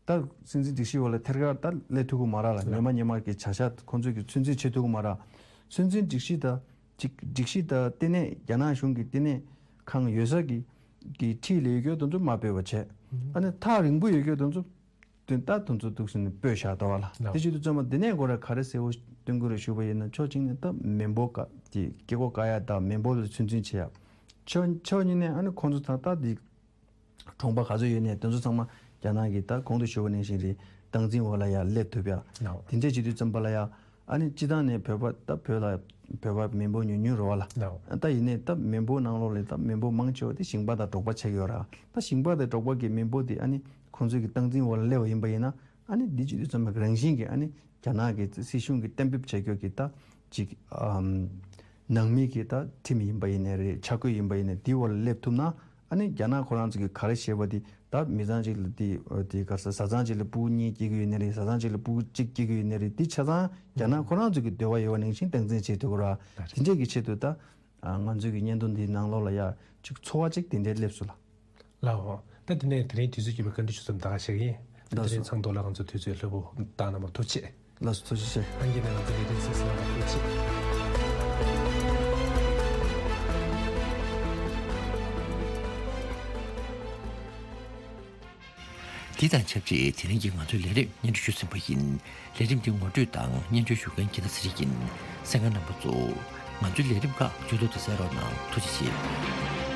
ད་སྲིད་འཛིན་སྒྲིག་གཞི་འོག་ལ་ཐད་ཀར་ད་སླེབས་ཐུབ་ཀྱི་མ་རེད་ལ། ཉི་མ་ཉི་མ་གི་བྱ་གཞག་ཁོང་ཚོས་ཀྱི་ཚོད་འཛིན་བྱེད་ཐུབ་ཀྱི་མ་རེད། སྲིད་འཛིན་སྒྲིག་གཞི་དང་ཅིག་སྒྲིག་གཞི་དང་ལྟེ་གནས་རྒྱ་ནག་གཞུང་གི་ལྟེ་གནས་ཁང་ཡོད་ས་གི་གི་འཁྲིས་ལ་ཡོད་རྒྱུ་དེ་ཚོ་མ་སྤོས་པ་བྱས། ཨ་ནི་ཐག་རིང་པོ་ཡོད་རྒྱུ་དེ་ཚོ་དེ་ད་དེ་ཚོ་འདུག་སེ་ནས་སྤོས་བཞག་འདུག་བ་ལ། ལགས། དེ་བྱེད་དུས་ཙམ་པ་འདི་ནས་ཁོ་ར་ག་རེ་གསལ་བོ་སྟོན་དགོས་རེད་ཞུ་བ་ཡིན་ན་ཕྱོགས་གཅིག་ནས་ད་མི་འབོར་ཀ་དེ་སྐྱེ་སྒོ་བཀག་ཡ་དང་མི་འབོར་ལ་ཚོད་འཛིན་བྱེད་ཡ། ཕྱོགས་ཕྱོགས་གཉིས་ནས་ཨ་ནི་ཁོང་ཚོ་ད་ལྟ་འདི་གྲོང་པ་ག་ཚོད་ཡོད་ནས་དེ་ཚོ་ཚང་མ་རྒྱ་ནག་གི་ད་གོང་དུ་ཞུས་པ་ནང་བཞིན་རེད། སྟངས་འཛིན་འོག་ལ་ཡ་སླེབས་ཐུབ་ཡ། ལགས། དེ་འདྲས་བྱེད་དུས་ཙམ་པ་ལ་ཡ་ཨ་ནི་སྤྱི་བཏང་ནས་བོད་པ་ད་བོད་ལ་བོད་པ་མི་འབོར་ཉུང་ཉུང་རེད་བ་ལ། ལགས། ད་ཡིན་ནའི་ད་མི་འབོར་ནང་ལོགས་ལ་ད་མི་འབོར་མང་ཆེ་བ་དེ་ཞིང་པ་དང་འབྲོག་པ་ཆགས་ཀྱི་ཡོད་ར། ད་ཞིང་པ་དང་འབྲོག་པ་གི་མི་འབོར་དེ་ཨ་ནི་ཁོང་ཚོའི་གི་སྟངས་འཛིན་འོག་ལ་སླེབས་པ་ཡིན་པ་ཡིན་ན་ཨ་ནི་འདི་བྱེད་དུས་ཙམ་པ་རང་བཞིན་གྱི་ཨ་ནི་རྒྱ་ནག་གི་སྲིད་གཞུང་གི་གཏན་འབེབས་བྱ་རྒྱུ་གི་ད་ཅིག་ཨམ་ནང་མི་གི་ད་ཁྲིམས་ཡིན་པ་ཡིན་ནའི་རེད། འཆར་འགོད་ཡིན་པ་ཡིན་ནའི་འདི་འོག་ལ་སླེབས་ཐུབ་ན་ཨ་ནི་རྒྱ་ནག་ཁོ་རང་ཚོ་གི་ག་རེ་བཤད་པ་དེ་ད་མི་ཚང་གཅིག་ལ་དེ་དེ་ག་ས་བཟའ་ཚང་གཅིག་ལ་ཕྲུ་གུ་གཉིས་སྐྱེ་གི་ཡོད་ནའི་རེད། བཟའ་ཚང་གཅིག་ལ་ཕྲུ་གུ་གཅིག་སྐྱེ་གི་ཡོད་ནའི་རེད། དེ་ཆ་ཚང་རྒྱ་ནག་ཁོ་རང་ཚོ་གི་འདོད་པ་ཡོད་པ་ནང་བཞིན་སྟངས་འཛིན་བྱེད་ཐུབ་ཀྱི་ར། དེ་འདྲས་ཀྱི་ཆེད་དུ་ད་ང་ཚོའི་གི་བརྙན་ཐུང་འདིའི་ནང་ལོགས་ལ་ཡ་ཅིག་ཚོར་བ་ཅིག་དེ་འདྲས་སླེབས་སོང་ལ། ལགས་འོང་། ད་དེ་ནས་དེ་རིང་དུས་ཚོད་ཀྱིས་པའི་བཀའ་འདྲི་ཞུ་མཚམས་ད་ག་བཞག་གི་ཡིན། ད་དེ་རིང་ཚང་ཐོག་ལ་ང་ཚོ་དུས་ཚོད་ལྷོད་པོ་བཏང་གནང་བར་ཐུགས་རྗེ་ཆེ། ལགས་སོ། ཐུགས་རྗེ་ཆེ། ཨང་ཀི་ནས་ང་ཚོ་ལས་རིམ་གཟིགས་གནང་བར་ཐུགས་རྗེ་ཆེ། དེ་དང་ཆབས་ཅིག་དེ་རིང་གི་ང་ཚོའི་ལས་རིམ་སྙན་སྒྲོན་ཞུས་ཟིན་པ་ཡིན། ལས་རིམ་འདི་ངོ་སྤྲོད་དང་སྙན་སྒྲོན་ཞུ་མཁན་འཁྱེར་ད་ཚེ་རིང་ཡིན། གསན་མཁན་རྣམ་པ་ཚོ། ང་ཚོའི་ལས་རིམ་ཁག་མཇུག་ཏུ་དུ་གསན་རོགས་གནང་། ཐུགས་རྗེ་ཆེ།